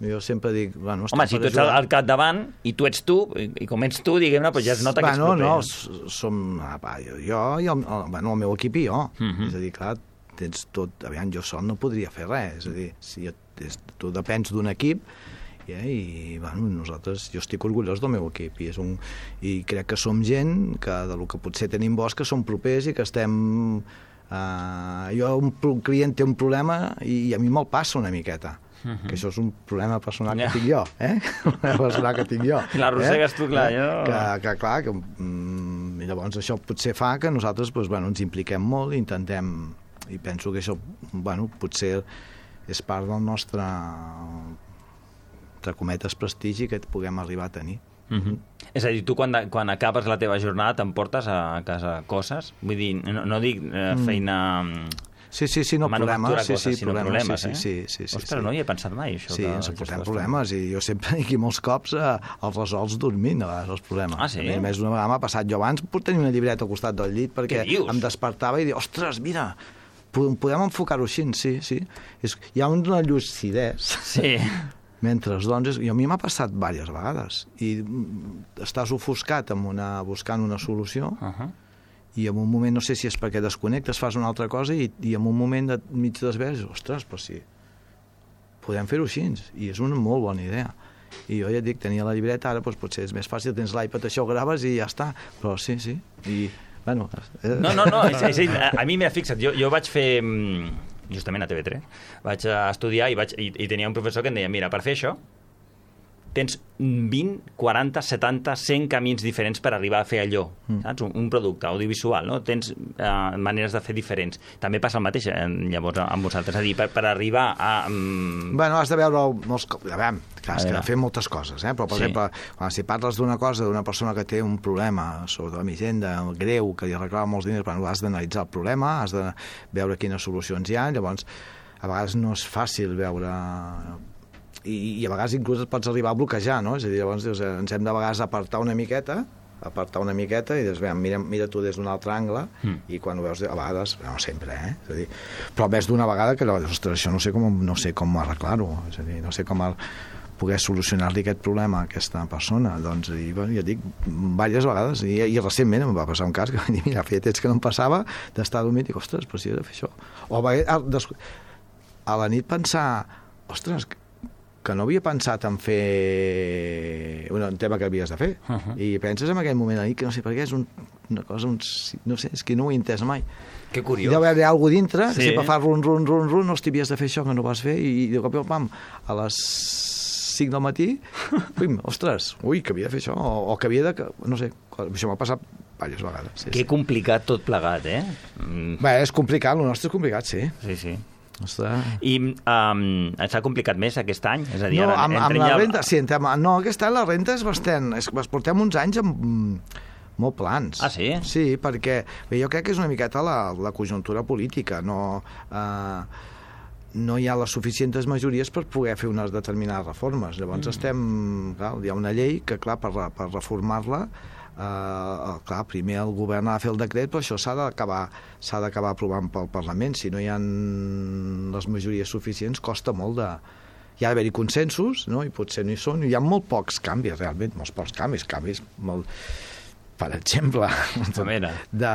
[SPEAKER 9] Jo sempre dic... Bueno,
[SPEAKER 5] home, si tu ets al capdavant i tu ets tu, i, i com ets tu, diguem-ne, doncs ja es nota que ets
[SPEAKER 9] bueno,
[SPEAKER 5] proper.
[SPEAKER 9] No, som... Apa, jo, jo i el, el, bueno, el meu equip i jo. Uh-huh. És a dir, clar, tens tot... Aviam, jo sol no podria fer res. És a dir, si jo, és, tu depens d'un equip eh, i, bueno, nosaltres... Jo estic orgullós del meu equip i, és un, i crec que som gent que del que potser tenim bo és que som propers i que estem... Uh, jo, un client té un problema i, i a mi me'l passa una miqueta. Uh-huh. Que això és un problema personal que yeah. tinc jo, eh? Un problema personal que tinc jo.
[SPEAKER 5] I l'arrossegues eh? tu, clar, jo...
[SPEAKER 9] Que, que clar, que, mm, llavors això potser fa que nosaltres doncs, bueno, ens impliquem molt i intentem... I penso que això, bueno, potser és part del nostre, entre cometes, prestigi que puguem arribar a tenir.
[SPEAKER 5] Uh-huh. És a dir, tu quan, quan acabes la teva jornada t'emportes a casa coses? Vull dir, no, no dic eh, feina...
[SPEAKER 9] Sí, sí, sí, no, problemes, sí, sí,
[SPEAKER 5] sinó
[SPEAKER 9] problemes,
[SPEAKER 5] problemes,
[SPEAKER 9] sí,
[SPEAKER 5] eh?
[SPEAKER 9] sí, sí, sí,
[SPEAKER 5] Ostres,
[SPEAKER 9] sí.
[SPEAKER 5] no hi he pensat mai, això.
[SPEAKER 9] Sí, ens portem problemes, i jo sempre dic que molts cops eh, els resols dormint, a vegades, els problemes.
[SPEAKER 5] Ah, sí?
[SPEAKER 9] A més, una vegada m'ha passat, jo abans puc tenir una llibreta al costat del llit perquè em despertava i dic, ostres, mira, podem enfocar-ho així, sí, sí. És, hi ha una lucidesa.
[SPEAKER 5] Sí.
[SPEAKER 9] Mentre, doncs, i a mi m'ha passat diverses vegades, i estàs ofuscat amb una, buscant una solució, uh-huh. i en un moment, no sé si és perquè desconnectes, fas una altra cosa, i, i en un moment de mig desvers, ostres, però sí, podem fer-ho així, i és una molt bona idea. I jo ja et dic, tenia la llibreta, ara doncs, potser és més fàcil, tens l'iPad, això ho graves i ja està, però sí, sí, i, bueno... Eh...
[SPEAKER 5] No, no, no, és, és, a, a mi m'ha fixat, jo, jo vaig fer, justament a T V tres, vaig estudiar i, vaig, i, i tenia un professor que em deia, mira, per fer això, tens vint, quaranta, setanta, cent camins diferents per arribar a fer allò, mm. saps? Un, un producte audiovisual, no? Tens uh, maneres de fer diferents. També passa el mateix, eh, llavors, amb vosaltres. És a dir, per, per arribar a... Um...
[SPEAKER 9] Bueno, has de veure molts... A veure, clar, has de fer moltes coses, eh? Però, per sí. exemple, quan si parles d'una cosa, d'una persona que té un problema sobre la hisenda greu, que li reclama molts diners, però has d'analitzar el problema, has de veure quines solucions hi ha, llavors, a vegades no és fàcil veure... I, i a vegades inclús et pots arribar a bloquejar, no? És a dir, llavors dius, ens hem de vegades apartar una miqueta, apartar una miqueta i dius, mira, mira tu des d'un altre angle, mm. i quan ho veus, a vegades, no sempre, eh? És a dir, però més d'una vegada que, ostres, això no sé com, no sé com arreglar-ho, és a dir, no sé com el, poder solucionar-li aquest problema a aquesta persona. Doncs, i, bueno, ja dic, diverses vegades, i, i recentment em va passar un cas que va dir, mira, feia temps que no em passava d'estar dormint i dic, ostres, però si he de fer això. O a, a, a la nit pensar, ostres, que no havia pensat en fer un tema que havies de fer. Uh -huh. I penses en aquell moment ahir que no sé per què és un, una cosa, un, no sé, és que no ho he entès mai.
[SPEAKER 5] Que curiós.
[SPEAKER 9] I deu haver alguna cosa dintre,
[SPEAKER 5] sí.
[SPEAKER 9] que sempre fa run, run, run, run, hosti, havies de fer això que no vas fer, i de cop i pam, a les cinc del matí, pim, ostres, ui, que havia de fer això, o, o que havia de... No sé, això m'ha passat diverses vegades. Sí,
[SPEAKER 5] que
[SPEAKER 9] sí.
[SPEAKER 5] complicat tot plegat, eh? Mm.
[SPEAKER 9] Bé, és complicat, el nostre és complicat, sí.
[SPEAKER 5] Sí, sí.
[SPEAKER 9] Ostres.
[SPEAKER 5] I um, s'ha complicat més aquest any? És a dir,
[SPEAKER 9] no,
[SPEAKER 5] ara,
[SPEAKER 9] amb, amb la
[SPEAKER 5] ja...
[SPEAKER 9] renta, sí, entrem, no, aquest any la renta és bastant... És, portem uns anys amb molt plans.
[SPEAKER 5] Ah, sí?
[SPEAKER 9] Sí, perquè bé, jo crec que és una miqueta la, la conjuntura política, no... Eh, no hi ha les suficients majories per poder fer unes determinades reformes. Llavors mm. estem... Clar, hi ha una llei que, clar, per, per reformar-la, eh, clar, primer el govern ha de fer el decret, però això s'ha d'acabar s'ha d'acabar aprovant pel Parlament. Si no hi ha les majories suficients, costa molt de... Hi ha d'haver-hi consensos, no? I potser no hi són. Hi ha molt pocs canvis, realment, molts pocs canvis, canvis molt... Per exemple, de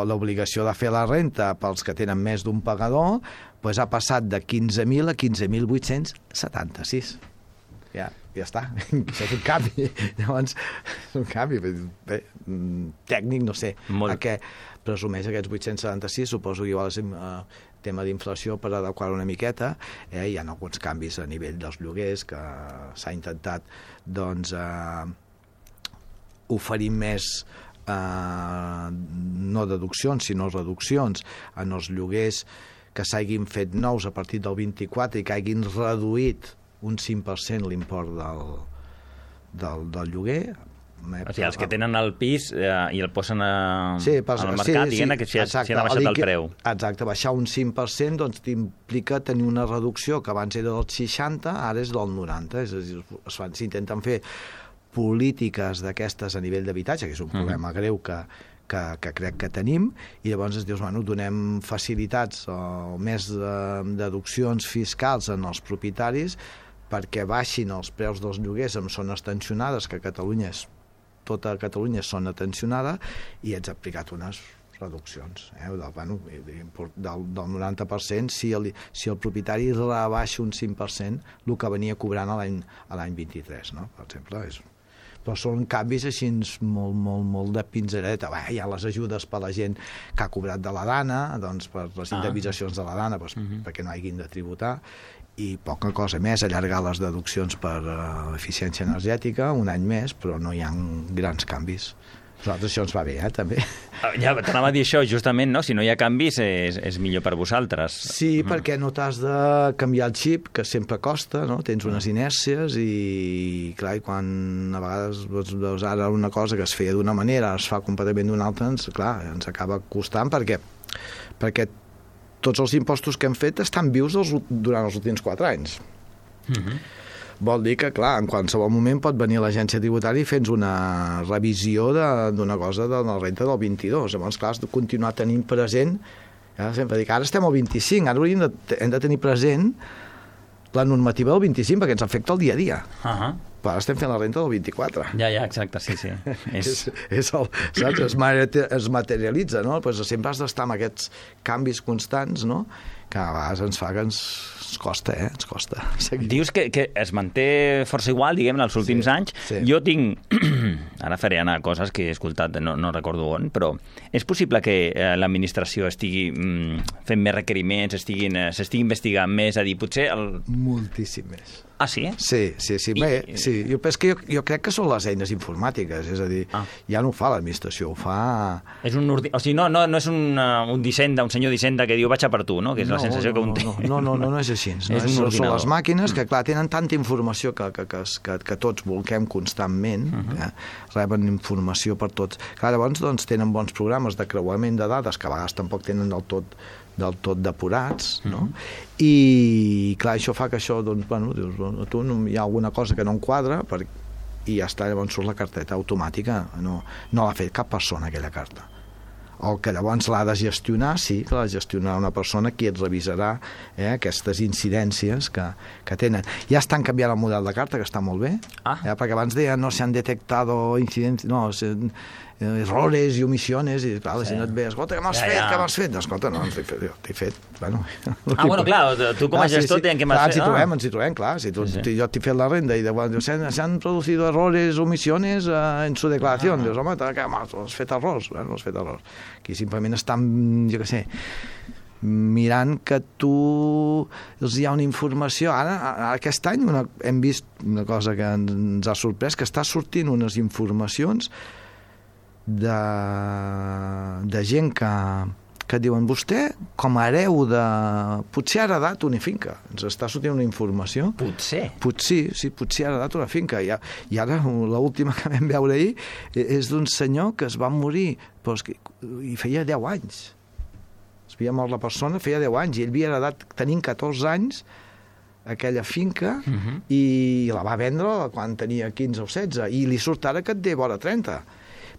[SPEAKER 9] l'obligació de fer la renta pels que tenen més d'un pagador, doncs ha passat de quinze mil a quinze mil vuit-cents setanta-sis. Ja, ja està. Això és un canvi. Llavors, és un canvi. Bé, tècnic, no sé. Molt. A què presumeix aquests vuit-cents setanta-sis, suposo que igual és eh, tema d'inflació per adequar una miqueta. Eh, hi ha alguns canvis a nivell dels lloguers que s'ha intentat, doncs... Eh, oferir més eh, no deduccions sinó reduccions en els lloguers que s'hagin fet nous a partir del vint-i-quatre i que hagin reduït un cinc per cent l'import del, del, del lloguer.
[SPEAKER 5] O sigui, els que tenen el pis eh, i el posen a,
[SPEAKER 9] sí, pas,
[SPEAKER 5] al mercat, sí, diguem sí, que s'hi ha, ha baixat el preu.
[SPEAKER 9] Exacte, baixar un cinc per cent doncs implica tenir una reducció que abans era del seixanta, ara és del noranta, és a dir, s'intenten fer polítiques d'aquestes a nivell d'habitatge, que és un problema mm. greu que, que, que crec que tenim, i llavors es dius, bueno, donem facilitats o més de, deduccions fiscals en els propietaris perquè baixin els preus dels lloguers en zones tensionades, que a Catalunya és, tota Catalunya és zona tensionada, i ets aplicat unes reduccions, eh? del, bueno, del, del noranta per cent si el, si el propietari rebaixa un cinc per cent el que venia cobrant a l'any vint-i-tres, no? Per exemple, és... però són canvis així molt, molt, molt de pinzereta. Bé, hi ha les ajudes per la gent que ha cobrat de la dana, doncs per les indemnitzacions de la dana, doncs, uh-huh. perquè no hagin de tributar, i poca cosa més, allargar les deduccions per uh, eficiència energètica un any més, però no hi ha grans canvis. Nosaltres això ens va bé, eh, també.
[SPEAKER 5] Ja t'anava a dir això, justament, no? Si no hi ha canvis és, és millor per vosaltres.
[SPEAKER 9] Sí, mm. perquè no t'has de canviar el xip, que sempre costa, no? Tens unes inèrcies i, clar, i quan a vegades veus ara una cosa que es feia d'una manera es fa completament d'una altra, ens, clar, ens acaba costant perquè, perquè tots els impostos que hem fet estan vius els, durant els últims quatre anys. Mm-hmm. Vol dir que, clar, en qualsevol moment pot venir l'agència tributària i fer-nos una revisió d'una cosa de la renta del vint-i-dos. Llavors, clar, has de continuar tenint present, ja, sempre dic, ara estem al vint-i-cinc, ara hem de, hem de tenir present la normativa del vint-i-cinc, perquè ens afecta el dia a dia. Uh-huh. Però ara estem fent la renta del vint-i-quatre.
[SPEAKER 5] Ja, ja, exacte, sí, sí.
[SPEAKER 9] és... és, és el, saps? Es, es materialitza, no? Pues sempre has d'estar amb aquests canvis constants, no? Que a vegades ens fa que ens, ens costa, eh? Ens costa seguir.
[SPEAKER 5] Dius que, que es manté força igual, diguem, els últims sí, anys. Sí. Jo tinc... Ara faré anar coses que he escoltat, no, no recordo on, però és possible que eh, l'administració estigui mm, fent més requeriments, estiguin, eh, s'estigui investigant més, a dir, potser... El...
[SPEAKER 9] Moltíssim més.
[SPEAKER 5] Ah, sí?
[SPEAKER 9] Sí, sí, sí. I... Bé, sí. Jo, que jo, jo crec que són les eines informàtiques, és a dir, ah. ja no ho fa l'administració, ho fa...
[SPEAKER 5] És un ordi... O sigui, no, no, no és un, uh, un dissenda, un senyor d'Hisenda que diu vaig a per tu, no? Que és no, la sensació
[SPEAKER 9] no,
[SPEAKER 5] que un té.
[SPEAKER 9] No, no, no, no és així. No? és és, són les màquines que, clar, tenen tanta informació que, que, que, que, que tots volquem constantment, uh -huh. eh? Reben informació per tots. Clar, llavors, doncs, tenen bons programes de creuament de dades, que a vegades tampoc tenen del tot del tot depurats, no? Mm-hmm. I, clar, això fa que això, doncs, bueno, dius, bueno, tu no, hi ha alguna cosa que no enquadra per, i ja està, llavors surt la carteta automàtica, no, no l'ha fet cap persona, aquella carta. O que llavors l'ha de gestionar, sí, que l'ha de gestionar una persona qui et revisarà eh, aquestes incidències que, que tenen. Ja estan canviant el model de carta, que està molt bé, ah. eh, perquè abans deia no s'han detectat incidències, no, se, errores i omissiones, i clar, la gent et ve, escolta, què m'has
[SPEAKER 5] Ja,
[SPEAKER 9] fet,
[SPEAKER 5] ja.
[SPEAKER 9] què m'has fet? Escolta, no, t'he fet, jo t'he fet, bueno...
[SPEAKER 5] Ah, bueno, clar, tu com a
[SPEAKER 9] Clar, sí,
[SPEAKER 5] gestor
[SPEAKER 9] sí.
[SPEAKER 5] dient què m'has
[SPEAKER 9] Clar,
[SPEAKER 5] fet.
[SPEAKER 9] ens hi
[SPEAKER 5] Ah.
[SPEAKER 9] trobem, ens hi trobem, clar, si tu,
[SPEAKER 5] Sí, sí.
[SPEAKER 9] tu- jo t'he fet la renda i de, bueno, se, han- se han producido errores, omisiones eh, en su declaración.
[SPEAKER 5] Ah.
[SPEAKER 9] Dius, home, què m'has has fet errors? Bueno, has fet errors. Aquí simplement estan, jo què sé, mirant que tu els hi ha una informació. Ara, a- aquest any una, hem vist una cosa que ens ha sorprès, que està sortint unes informacions de, de gent que, que diuen, vostè, com a hereu de... Potser ha heredat una finca. Ens està sortint una informació.
[SPEAKER 5] Potser.
[SPEAKER 9] Potser, sí, potser ha heredat una finca. I, i ara, l'última que vam veure ahir és d'un senyor que es va morir, però és que, i feia deu anys. Es havia mort la persona, feia deu anys, i ell havia heredat, tenint catorze anys, aquella finca, uh -huh. i la va vendre quan tenia quinze o setze, i li surt ara que et té vora trenta.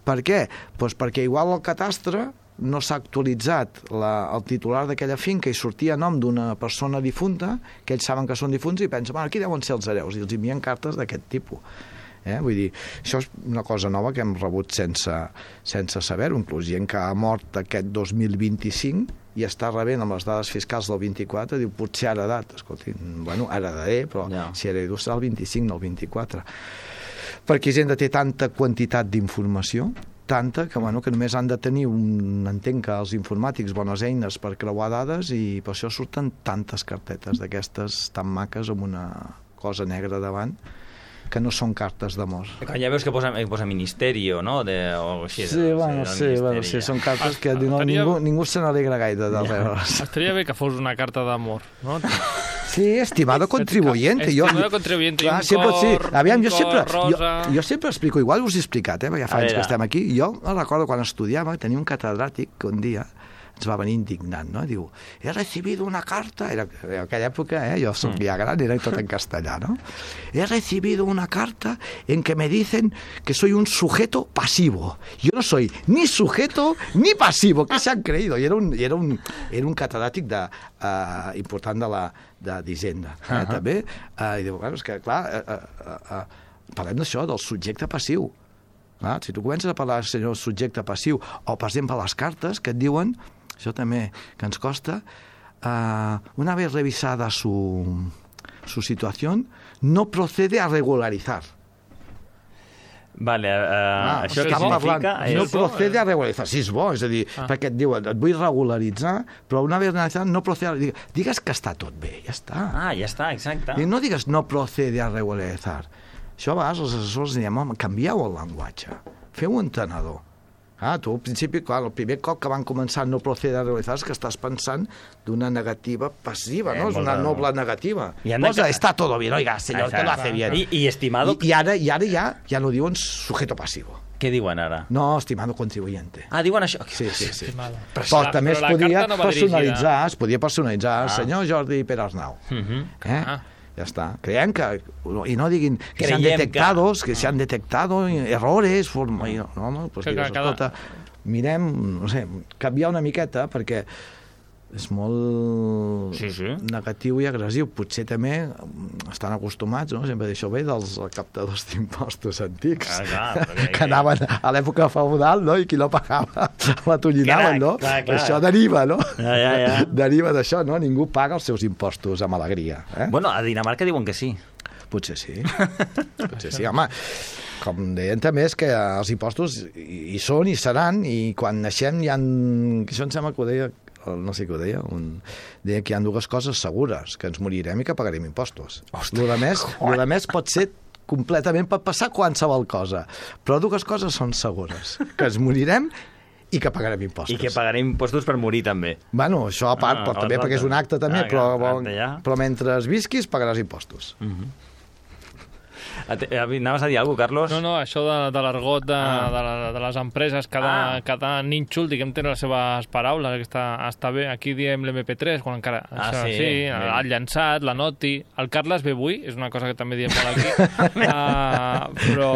[SPEAKER 9] Per què? Pues perquè igual el catastre no s'ha actualitzat la, el titular d'aquella finca i sortia a nom d'una persona difunta, que ells saben que són difunts i pensen, bueno, aquí deuen ser els hereus, i els envien cartes d'aquest tipus. Eh? Vull dir, això és una cosa nova que hem rebut sense, sense saber-ho, inclús gent que ha mort aquest dos mil vint-i-cinc i està rebent amb les dades fiscals del vint-i-quatre, diu, potser ha heredat. Escolti, bueno, heredaré, però
[SPEAKER 5] Ja.
[SPEAKER 9] si heredo serà el vint-i-cinc, no el vint-i-quatre. Perquè gent té tanta quantitat d'informació, tanta que, bueno, que només han de tenir un, entenc que els informàtics bones eines per creuar dades, i per això surten tantes carpetes d'aquestes tan maques amb una cosa negra davant, que no són cartes d'amor.
[SPEAKER 5] Ja veus que posa, posa Ministerio, no? De, o així,
[SPEAKER 9] Sí,
[SPEAKER 5] de,
[SPEAKER 9] bueno,
[SPEAKER 5] del
[SPEAKER 9] sí, bueno, sí, són cartes que no,
[SPEAKER 6] Tenia-
[SPEAKER 9] ningú, ningú se n'alegra gaire de rebre-les.
[SPEAKER 6] Estaria bé que fos una carta d'amor, no?
[SPEAKER 9] Sí, estimado contribuyente. Jo,
[SPEAKER 6] Estimado contribuyente, i
[SPEAKER 9] clar,
[SPEAKER 6] un
[SPEAKER 9] sempre,
[SPEAKER 6] cor,
[SPEAKER 9] sí, aviam,
[SPEAKER 6] un
[SPEAKER 9] jo sempre,
[SPEAKER 6] cor rosa.
[SPEAKER 9] jo, jo sempre explico, igual us he explicat, eh, perquè ja fa
[SPEAKER 5] A
[SPEAKER 9] anys
[SPEAKER 5] veure.
[SPEAKER 9] que estem aquí. Jo me'n recordo quan estudiava, tenia un catedràtic que un dia ens va venir indignant, no? Diu, he recibido una carta, era en aquella època, eh, jo soc ja gran, era tot en castellà, no? He recibido una carta en que me dicen que soy un sujeto pasivo. Yo no soy ni sujeto ni pasivo. ¿Qué se han creído? I era un, i era un, era un catedràtic de, uh, important de la de d'Hisenda, eh, uh -huh. també. Uh, I diu, bueno, és que, clar, uh, uh, uh, parlem d'això, del subjecte passiu. Clar, si tu comences a parlar del subjecte passiu, o, per exemple, les cartes que et diuen, això també que ens costa, uh, una vez revisada su, su situación, no procede a regularizar.
[SPEAKER 5] Vale, uh,
[SPEAKER 9] Ah,
[SPEAKER 5] això què
[SPEAKER 9] estan
[SPEAKER 5] significa?
[SPEAKER 9] parlant,
[SPEAKER 5] És...
[SPEAKER 9] no procede a regularizar. Sí, és bo, és a dir, ah. perquè et diuen, et vull regularitzar, però una vez regularizat no procede a... Digues, digues que està tot bé, ja està.
[SPEAKER 5] Ah, ja està, exacte.
[SPEAKER 9] I no digues no procede a regularizar. Això a vegades els assessors diem, home, canvieu el llenguatge, feu un entenedor. Ah, tu al principi, clar, el primer cop que van començar no procede a regularizar és que estàs pensant d'una negativa passiva,
[SPEAKER 5] Eh,
[SPEAKER 9] no? És una
[SPEAKER 5] molt-
[SPEAKER 9] noble negativa.
[SPEAKER 5] I han de-
[SPEAKER 9] Posa, está todo bien, oiga, señor, que lo hace bien.
[SPEAKER 5] I, i estimado...
[SPEAKER 9] I, i ara, i ara ja, ja no diuen sujeto passivo.
[SPEAKER 5] Què diuen ara?
[SPEAKER 9] No, estimado contribuyente.
[SPEAKER 5] Ah, diuen això?
[SPEAKER 9] Sí, sí, sí.
[SPEAKER 6] Estimado.
[SPEAKER 9] Però,
[SPEAKER 6] Però la-
[SPEAKER 9] també es
[SPEAKER 6] però la
[SPEAKER 9] podia
[SPEAKER 6] carta no va
[SPEAKER 9] personalitzar, es podia personalitzar,
[SPEAKER 5] Ah.
[SPEAKER 9] senyor Jordi Perarnau.
[SPEAKER 5] Uh -huh.
[SPEAKER 9] Eh?
[SPEAKER 6] Ah.
[SPEAKER 9] Ja està. Creiem que... I no diguin que se han
[SPEAKER 5] Creiem
[SPEAKER 9] detectado,
[SPEAKER 5] que-
[SPEAKER 9] que se han detectado errores, forma... i No, home, doncs
[SPEAKER 6] Que
[SPEAKER 9] digues,
[SPEAKER 6] cada-
[SPEAKER 9] escolta, mirem, no sé, canviar una miqueta, perquè és molt
[SPEAKER 5] Sí, sí.
[SPEAKER 9] negatiu i agressiu. Potser també estan acostumats, no? Sempre d'això ve dels captadors d'impostos antics,
[SPEAKER 5] Ah, clar, perquè-
[SPEAKER 9] que anaven a l'època feudal, no? I qui no pagava la tonyinaven, no?
[SPEAKER 5] Clar, clar.
[SPEAKER 9] Això deriva, no?
[SPEAKER 5] Ja, ja, ja.
[SPEAKER 9] Deriva d'això, no? Ningú paga els seus impostos amb alegria. Eh?
[SPEAKER 5] Bueno, a Dinamarca diuen que sí.
[SPEAKER 9] Potser sí. Potser sí, home. Com deien també és que els impostos hi hi són i seran, i quan naixem hi ha... Això em sembla que ho deia, no sé què ho deia, un... deia que hi ha dues coses segures, que ens morirem i que pagarem impostos. Lo de més, lo de més pot ser completament, pot passar qualsevol cosa, però dues coses són segures, que ens morirem i que pagarem impostos.
[SPEAKER 5] I que pagarem impostos per morir, també.
[SPEAKER 9] Bueno, això a part,
[SPEAKER 5] Ah,
[SPEAKER 9] però
[SPEAKER 5] a
[SPEAKER 9] també
[SPEAKER 5] part,
[SPEAKER 9] perquè és un acte també,
[SPEAKER 5] ah,
[SPEAKER 9] però,
[SPEAKER 5] clar, acte ja.
[SPEAKER 9] però mentre visquis pagaràs impostos.
[SPEAKER 5] Ate- Anaves a dir alguna cosa, Carlos?
[SPEAKER 6] No, no, això de, de l'argot de,
[SPEAKER 5] Ah.
[SPEAKER 6] de, la, de les empreses, cada,
[SPEAKER 5] Ah.
[SPEAKER 6] cada nínxol, diguem, té les seves paraules, que està, està bé. Aquí diem l'M P tres, quan encara...
[SPEAKER 5] Ah,
[SPEAKER 6] això,
[SPEAKER 5] sí,
[SPEAKER 6] sí,
[SPEAKER 5] bé.
[SPEAKER 6] el llançat, la noti... El Carles ve avui, és una cosa que també diem molt aquí. uh, però...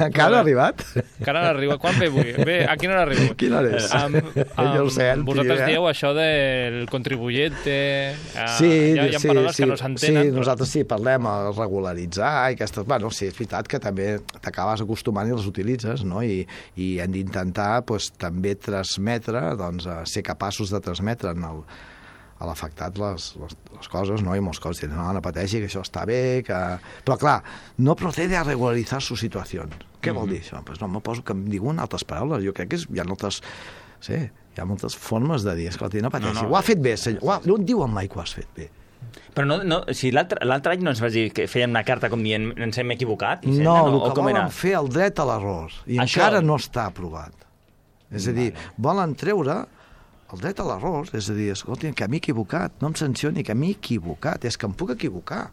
[SPEAKER 9] Encara no ha arribat?
[SPEAKER 6] Encara no arriba. Quan ve avui? Ve, a quina hora arriba?
[SPEAKER 9] Quina hora és?
[SPEAKER 6] Um,
[SPEAKER 9] Ja ho sé, el
[SPEAKER 6] vosaltres
[SPEAKER 9] tio, eh?
[SPEAKER 6] dieu això del contribuyente... Uh,
[SPEAKER 9] Sí,
[SPEAKER 6] hi ha, hi ha
[SPEAKER 9] sí,
[SPEAKER 6] paraules
[SPEAKER 9] sí,
[SPEAKER 6] que no s'entenen.
[SPEAKER 9] sí, nosaltres sí, parlem a regularitzar i aquestes... Bueno, sí, és veritat que també t'acabes acostumant i les utilitzes, no? I, i hem d'intentar pues, també transmetre, doncs, ser capaços de transmetre en el, a l'afectat les, les, les coses, no? I molts coses diuen, no, no pateixi, que això està bé, que... Però, clar, no procede a regularitzar su situació. Què vol dir això? Pues no, me poso que em diuen altres paraules. Jo crec que és, hi ha moltes... Sí, hi ha moltes formes de dir, escolta, no pateixi, no, no. Ho ha fet bé, senyor. Ho ha, no et diuen mai que ho has fet bé.
[SPEAKER 5] Però no, no, si l'altre any no ens vas dir que fèiem una carta com dient ens hem equivocat?
[SPEAKER 9] No, no, el que volen fer el dret a l'error. I això... encara no està aprovat. És a dir, vale. Volen treure el dret a l'error, és a dir, escolta, que m'he equivocat, no em sancioni, que m'he equivocat, és que em puc equivocar.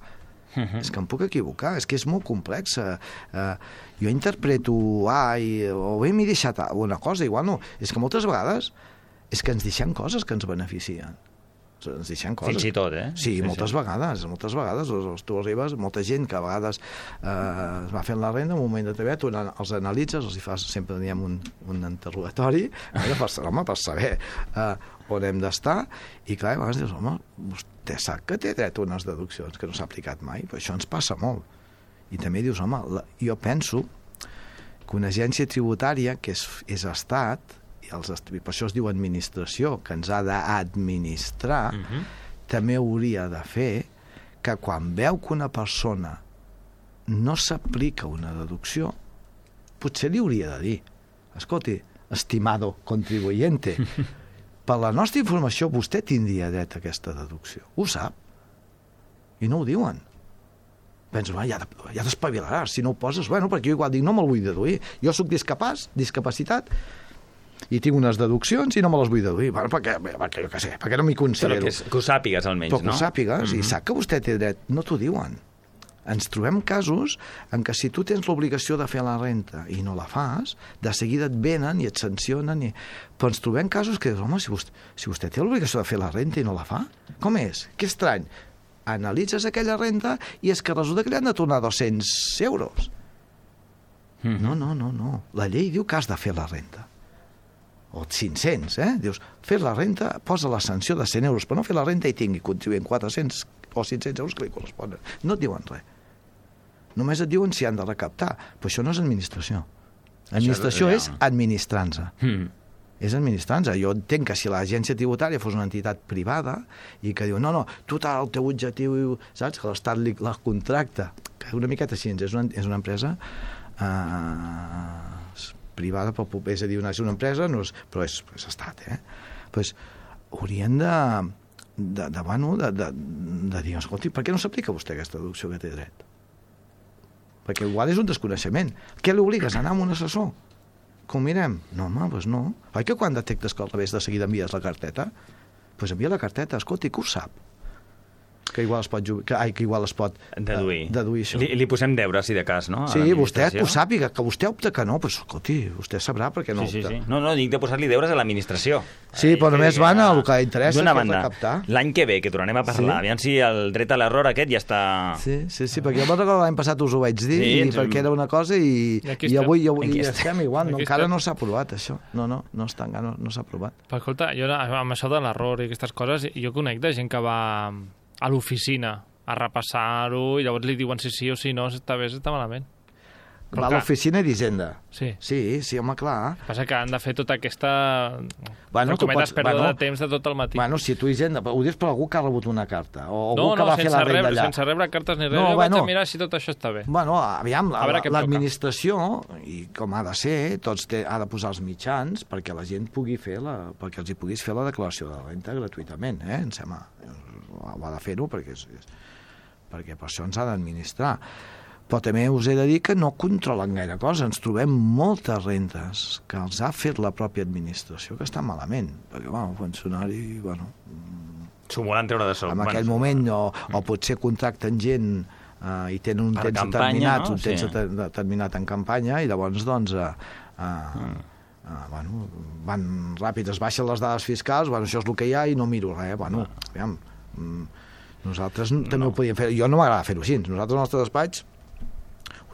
[SPEAKER 9] Uh-huh. És que em puc equivocar, és que és molt complex. Uh, jo interpreto A i, o bé m'he deixat una cosa, igual no. És que moltes vegades és que ens deixem coses que ens beneficien. Ens deixem coses.
[SPEAKER 5] Fins i tot, eh?
[SPEAKER 9] Sí, sí moltes sí. vegades, moltes vegades. Tu arribes, molta gent que a vegades eh, es va fent la renda, en un moment determinat, tu els analitzes, els hi fas, sempre teníem un, un interrogatori, eh, per, home, per saber eh, on hem d'estar, i clar, a vegades dius, home, vostè sap que té dret a unes deduccions que no s'ha aplicat mai, però això ens passa molt. I també dius, home, la, jo penso que una agència tributària, que és, és estat, i els, per això es diu administració, que ens ha d'administrar, uh-huh. també hauria de fer que quan veu que una persona no s'aplica una deducció, potser li hauria de dir, escolti, estimado contribuyente, per la nostra informació vostè tindria dret a aquesta deducció. Ho sap. I no ho diuen. Penso, ja, ja t'espavilaràs, si no ho poses, bueno, perquè jo igual dic, no me'l vull deduir. Jo sóc discapaç, discapacitat, i tinc unes deduccions i no me les vull deduir. Bueno, perquè, perquè jo què sé, perquè no m'hi considero.
[SPEAKER 5] Però que, és, que ho sàpigues, almenys,
[SPEAKER 9] Però
[SPEAKER 5] no?
[SPEAKER 9] que ho sàpigues,
[SPEAKER 5] mm-hmm.
[SPEAKER 9] i sap que vostè té dret. No t'ho diuen. Ens trobem casos en què si tu tens l'obligació de fer la renta i no la fas, de seguida et venen i et sancionen. I... Però ens trobem casos que dius, home, si vostè, si vostè té l'obligació de fer la renta i no la fa, com és? Que estrany. Analitzes aquella renta i és que resulta que li han de tornar dos-cents euros. Mm-hmm. No, no, no, no. La llei diu que has de fer la renta. O cinc-cents, eh? Dius, fer la renta, posa la sanció de cent euros, però no fer la renta i tingui contribuint quatre-cents o cinc-cents euros que li corresponen. No et diuen res. Només et diuen si han de recaptar. Però això no és administració. Administració és, és administrança. Mm. És administrança. Jo entenc que si l'agència tributària fos una entitat privada i que diu, no, no, tu el teu objectiu, saps, que l'Estat li la contracta, que una miqueta així, és una, és una empresa... Eh, privada, però és a dir, una, és una empresa, no és, però és, és estat, eh? Pues, haurien de, de, de, bueno, de, de, de dir, escolti, per què no s'aplica vostè aquesta deducció que té dret? Perquè igual és un desconeixement. Què li obligues a anar amb un assessor? Que ho mirem? No, home, doncs no. Oi que quan detectes que al revés de seguida envies la carteta? Doncs pues envia la carteta, escolti, que ho sap. Que igual es pot, que, ai, que igual es pot
[SPEAKER 5] deduir,
[SPEAKER 9] uh, deduir això.
[SPEAKER 5] Li, li posem deure, si de cas, no?
[SPEAKER 9] Sí, vostè que ho sàpiga, que vostè opta que no, doncs, escolti, vostè sabrà perquè no
[SPEAKER 5] sí,
[SPEAKER 9] opta.
[SPEAKER 5] Sí, sí. No, no, dic de posar-li deures a l'administració.
[SPEAKER 9] Sí, però només van al que interessa,
[SPEAKER 5] d'una
[SPEAKER 9] que
[SPEAKER 5] banda,
[SPEAKER 9] és recaptar.
[SPEAKER 5] L'any que ve, que tornarem a parlar, sí? Aviam si el dret a l'error aquest ja està...
[SPEAKER 9] Sí, sí, sí, perquè jo me'n recordo l'any passat us ho vaig dir, sí, i ens... perquè era una cosa i, I, i avui, avui ja estem igual, no, encara no s'ha aprovat això. No, no, no està, no, no s'ha aprovat.
[SPEAKER 6] Però escolta, jo amb això de l'error i aquestes coses, jo conec de gent que va a l'oficina a repassar-ho, i llavors li diuen si sí o si no, si està bé, si està malament.
[SPEAKER 9] Però va a l'oficina d'Hisenda.
[SPEAKER 6] Sí.
[SPEAKER 9] Sí, sí, home, clar.
[SPEAKER 6] Passa que han de fer tota aquesta...
[SPEAKER 9] Bueno, tu pots...
[SPEAKER 6] pèrdua
[SPEAKER 9] bueno,
[SPEAKER 6] de temps de tot el matí.
[SPEAKER 9] Bueno, si tu Hisenda... Ho dius per algú que ha rebut una carta, o algú
[SPEAKER 6] no,
[SPEAKER 9] que
[SPEAKER 6] no,
[SPEAKER 9] va fer la renda
[SPEAKER 6] rebre,
[SPEAKER 9] allà.
[SPEAKER 6] sense rebre cartes ni res,
[SPEAKER 9] no,
[SPEAKER 6] jo
[SPEAKER 9] bueno,
[SPEAKER 6] vaig a mirar si tot això està bé.
[SPEAKER 9] Bueno, aviam, l'administració,
[SPEAKER 6] la,
[SPEAKER 9] i com ha de ser, tots té, ha de posar els mitjans perquè la gent pugui fer la... perquè els hi puguis fer la declaració de renta gratuïtament, eh? Em sembla... Ho ha de fer-ho perquè és... perquè per això ens ha d'administrar. Però també us he de dir que no controlen gaire cosa. Ens trobem moltes rentes que els ha fet la pròpia administració que estan malament. Perquè, bueno, el funcionari, bueno...
[SPEAKER 5] S'ho volen treure de sol.
[SPEAKER 9] En aquell bueno, moment, o, o potser contracten gent eh, i tenen un temps
[SPEAKER 5] campanya,
[SPEAKER 9] determinat,
[SPEAKER 5] no?
[SPEAKER 9] un temps
[SPEAKER 5] sí.
[SPEAKER 9] determinat en campanya, i llavors, doncs, eh, eh, mm. eh, bueno, van ràpid, es baixen les dades fiscals, bueno, això és el que hi ha i no miro res. Bueno, aviam, nosaltres no. també ho podíem fer. Jo no m'agrada fer-ho així. Nosaltres al nostre despatx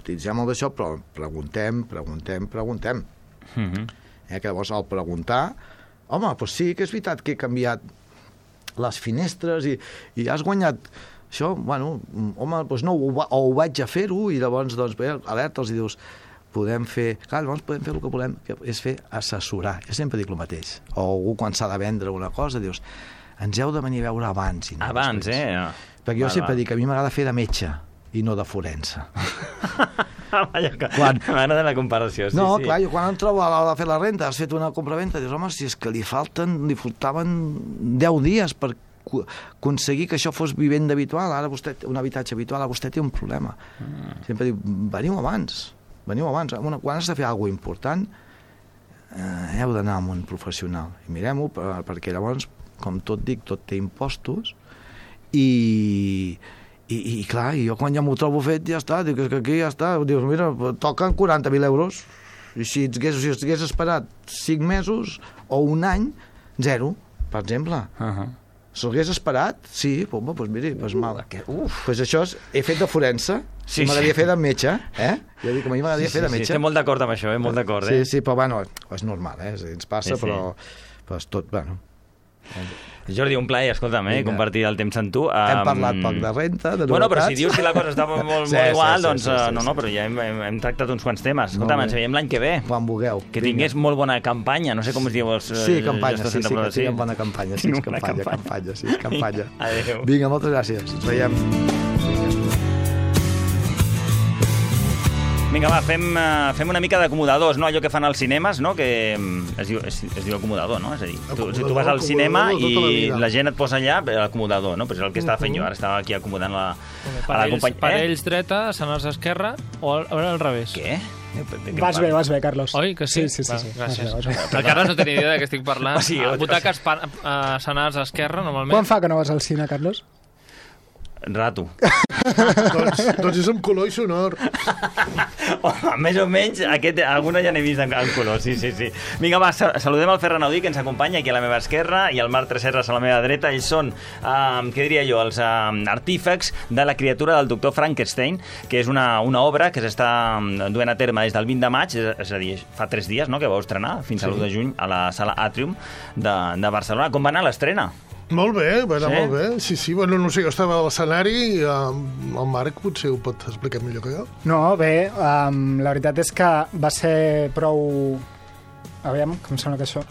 [SPEAKER 9] utilitzem el d'això, però preguntem, preguntem, preguntem.
[SPEAKER 5] Mm-hmm.
[SPEAKER 9] Eh, que llavors al preguntar, home, doncs sí que és veritat que he canviat les finestres i, i has guanyat això, bueno, home, doncs no, ho, o ho vaig a fer-ho, i llavors, doncs, bé, alerta'ls i dius, podem fer... Clar, llavors podem fer el que volem, que és fer assessorar. Jo sempre dic el mateix. O algú, quan s'ha de vendre una cosa, dius, ens heu de venir a veure abans. I no
[SPEAKER 5] abans,
[SPEAKER 9] després.
[SPEAKER 5] eh?
[SPEAKER 9] Perquè jo
[SPEAKER 5] va,
[SPEAKER 9] sempre
[SPEAKER 5] va.
[SPEAKER 9] dic que a mi m'agrada fer de metge i no de forense.
[SPEAKER 5] Vaja,
[SPEAKER 9] Quan...
[SPEAKER 5] m'agrada la comparació, sí,
[SPEAKER 9] no,
[SPEAKER 5] sí.
[SPEAKER 9] clar, jo quan em trobo a l'hora de fer la renta, has fet una compraventa, dius, home, si és que li falten, li faltaven deu dies per aconseguir que això fos vivenda habitual, ara vostè, un habitatge habitual, ara vostè té un problema. Mm. Sempre diu, veniu abans, veniu abans. Quan has de fer alguna cosa important, eh, heu d'anar amb un professional. I mirem-ho, perquè llavors, com tot dic, tot té impostos, i, i, i clar, jo quan ja m'ho trobo fet, ja està, dic que aquí ja està, dius, mira, toquen quaranta mil euros, i si hagués, si hagués esperat cinc mesos o un any, zero, per exemple. Uh -huh. Si l'hagués esperat, sí, home, doncs miri, doncs mal. Uf. Pues això és, he fet de forense, sí, m'agradaria sí. fer de metge, eh? Jo dic que a mi m'agradaria sí, fer de metge.
[SPEAKER 5] Sí, estem molt d'acord amb això, eh? Molt d'acord,
[SPEAKER 9] eh?
[SPEAKER 5] Sí,
[SPEAKER 9] sí, però bueno, és normal, eh? Ens passa, sí, sí. però, però és tot, bueno...
[SPEAKER 5] Jordi, un plaer, escolta'm, eh, compartir el temps amb tu. Um...
[SPEAKER 9] Hem parlat poc de renta, de novetats.
[SPEAKER 5] Bueno, però si dius que la cosa està molt, molt, sí, molt igual, sí, sí,
[SPEAKER 9] sí,
[SPEAKER 5] doncs
[SPEAKER 9] sí, sí,
[SPEAKER 5] no, no, però ja hem, hem, hem tractat uns quants temes. Escolta'm, ens veiem l'any que ve.
[SPEAKER 9] Quan vulgueu.
[SPEAKER 5] Que tingués molt bona campanya, no sé com es diu els...
[SPEAKER 9] Sí, campanya, sí, sí, que tinguem bona campanya, sí, és campanya, campanya, sí, és campanya.
[SPEAKER 5] Adéu.
[SPEAKER 9] Vinga, moltes gràcies. Ens veiem.
[SPEAKER 5] Vinga, va, fem, uh, fem una mica d'acomodadors, no? Allò que fan als cinemes, no? Que es diu, es, es diu acomodador, no? És a dir, tu, si tu vas al cinema i la, la gent et posa allà, l'acomodador, no? Però és el que estava fent jo, ara estava aquí acomodant la,
[SPEAKER 6] a la companyia. Parells dreta, senars esquerra, o al, al revés?
[SPEAKER 5] Què?
[SPEAKER 10] Vas bé, vas bé, Carlos.
[SPEAKER 6] Oi, que sí?
[SPEAKER 10] Sí, sí, sí.
[SPEAKER 6] Va,
[SPEAKER 10] sí.
[SPEAKER 6] Gràcies.
[SPEAKER 10] Vas bé, vas bé.
[SPEAKER 6] El Carles no tenia idea de què estic parlant.
[SPEAKER 5] O sigui,
[SPEAKER 6] butaques uh, senars esquerra, normalment.
[SPEAKER 10] Quan fa que no vas al cine, Carlos?
[SPEAKER 5] Rato.
[SPEAKER 11] doncs, doncs és amb color i sonor.
[SPEAKER 5] Home, més o menys, aquest, alguna ja n'he vist en, en color, sí, sí, sí. Vinga, va, saludem el Ferran Audí, que ens acompanya aquí a la meva esquerra, i el Marc Tresserras a la meva dreta. Ells són, uh, què diria jo, els uh, artífecs de La criatura del doctor Frankenstein, que és una, una obra que s'està duent a terme des del vint de maig, és, és a dir, fa tres dies, no?, que vau estrenar, fins al sí. l'u de juny, a la sala Atrium de, de Barcelona. Com va anar l'estrena?
[SPEAKER 11] Molt bé, va anar
[SPEAKER 5] sí?
[SPEAKER 11] molt bé. Sí, sí, bueno, no sé, jo estava a l'escenari i um, el Marc potser ho pot explicar millor que jo.
[SPEAKER 10] No, bé, um, la veritat és que va ser prou... Aviam, com sembla que això...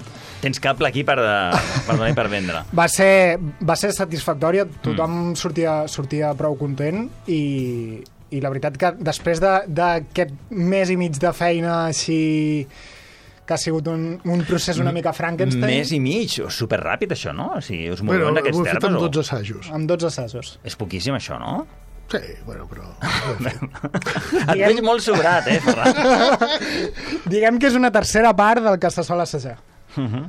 [SPEAKER 5] Tens cable aquí per, de, per donar i per vendre.
[SPEAKER 10] Va ser, va ser satisfactòria, tothom mm. sortia, sortia prou content i, i la veritat que després d'aquest de, mes i mig de feina així... que ha sigut un, un procés una mica Frankenstein.
[SPEAKER 5] Més i mig, superràpid això, no? O sigui, us
[SPEAKER 11] bueno,
[SPEAKER 5] movem d'aquests termes?
[SPEAKER 11] Ho he fet amb dotze assajos.
[SPEAKER 10] Amb dotze assajos.
[SPEAKER 5] És poquíssim això, no?
[SPEAKER 11] Sí, bueno, però...
[SPEAKER 5] Et Diguem... veig molt sobrat, eh, Ferran?
[SPEAKER 10] Diguem que és una tercera part del que se sol assajar.
[SPEAKER 5] Uh -huh.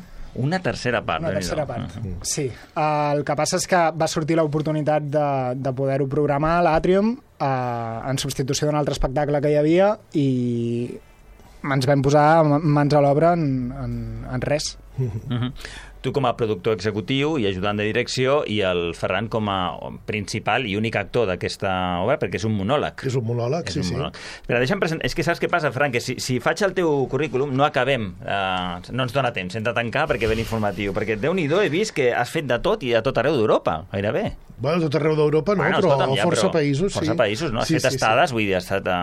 [SPEAKER 5] Una tercera part.
[SPEAKER 10] Una tercera part, uh -huh. sí. Uh, el que passa és que va sortir l'oportunitat de, de poder-ho programar a l'Atrium uh, en substitució d'un altre espectacle que hi havia i ens vam posar mans a l'obra en, en, en res.
[SPEAKER 5] Uh-huh. Tu com a productor executiu i ajudant de direcció i el Ferran com a principal i únic actor d'aquesta obra, perquè és un monòleg.
[SPEAKER 11] És un monòleg,
[SPEAKER 5] és
[SPEAKER 11] sí,
[SPEAKER 5] un
[SPEAKER 11] sí.
[SPEAKER 5] Monòleg. Però deixa'm presentar... És que saps què passa, Ferran? Que si, si faig el teu currículum no acabem, eh, no ens dona temps, hem de tancar perquè ve l'informatiu, perquè Déu-n'hi-do he vist que has fet de tot i a tot arreu d'Europa, gairebé.
[SPEAKER 11] Bueno, tot arreu d'Europa no, bueno, però escolta'm, ja, força però, països,
[SPEAKER 5] força
[SPEAKER 11] sí.
[SPEAKER 5] països, no? Has
[SPEAKER 11] sí,
[SPEAKER 5] fet
[SPEAKER 11] sí,
[SPEAKER 5] estades,
[SPEAKER 11] sí.
[SPEAKER 5] vull dir, has estat a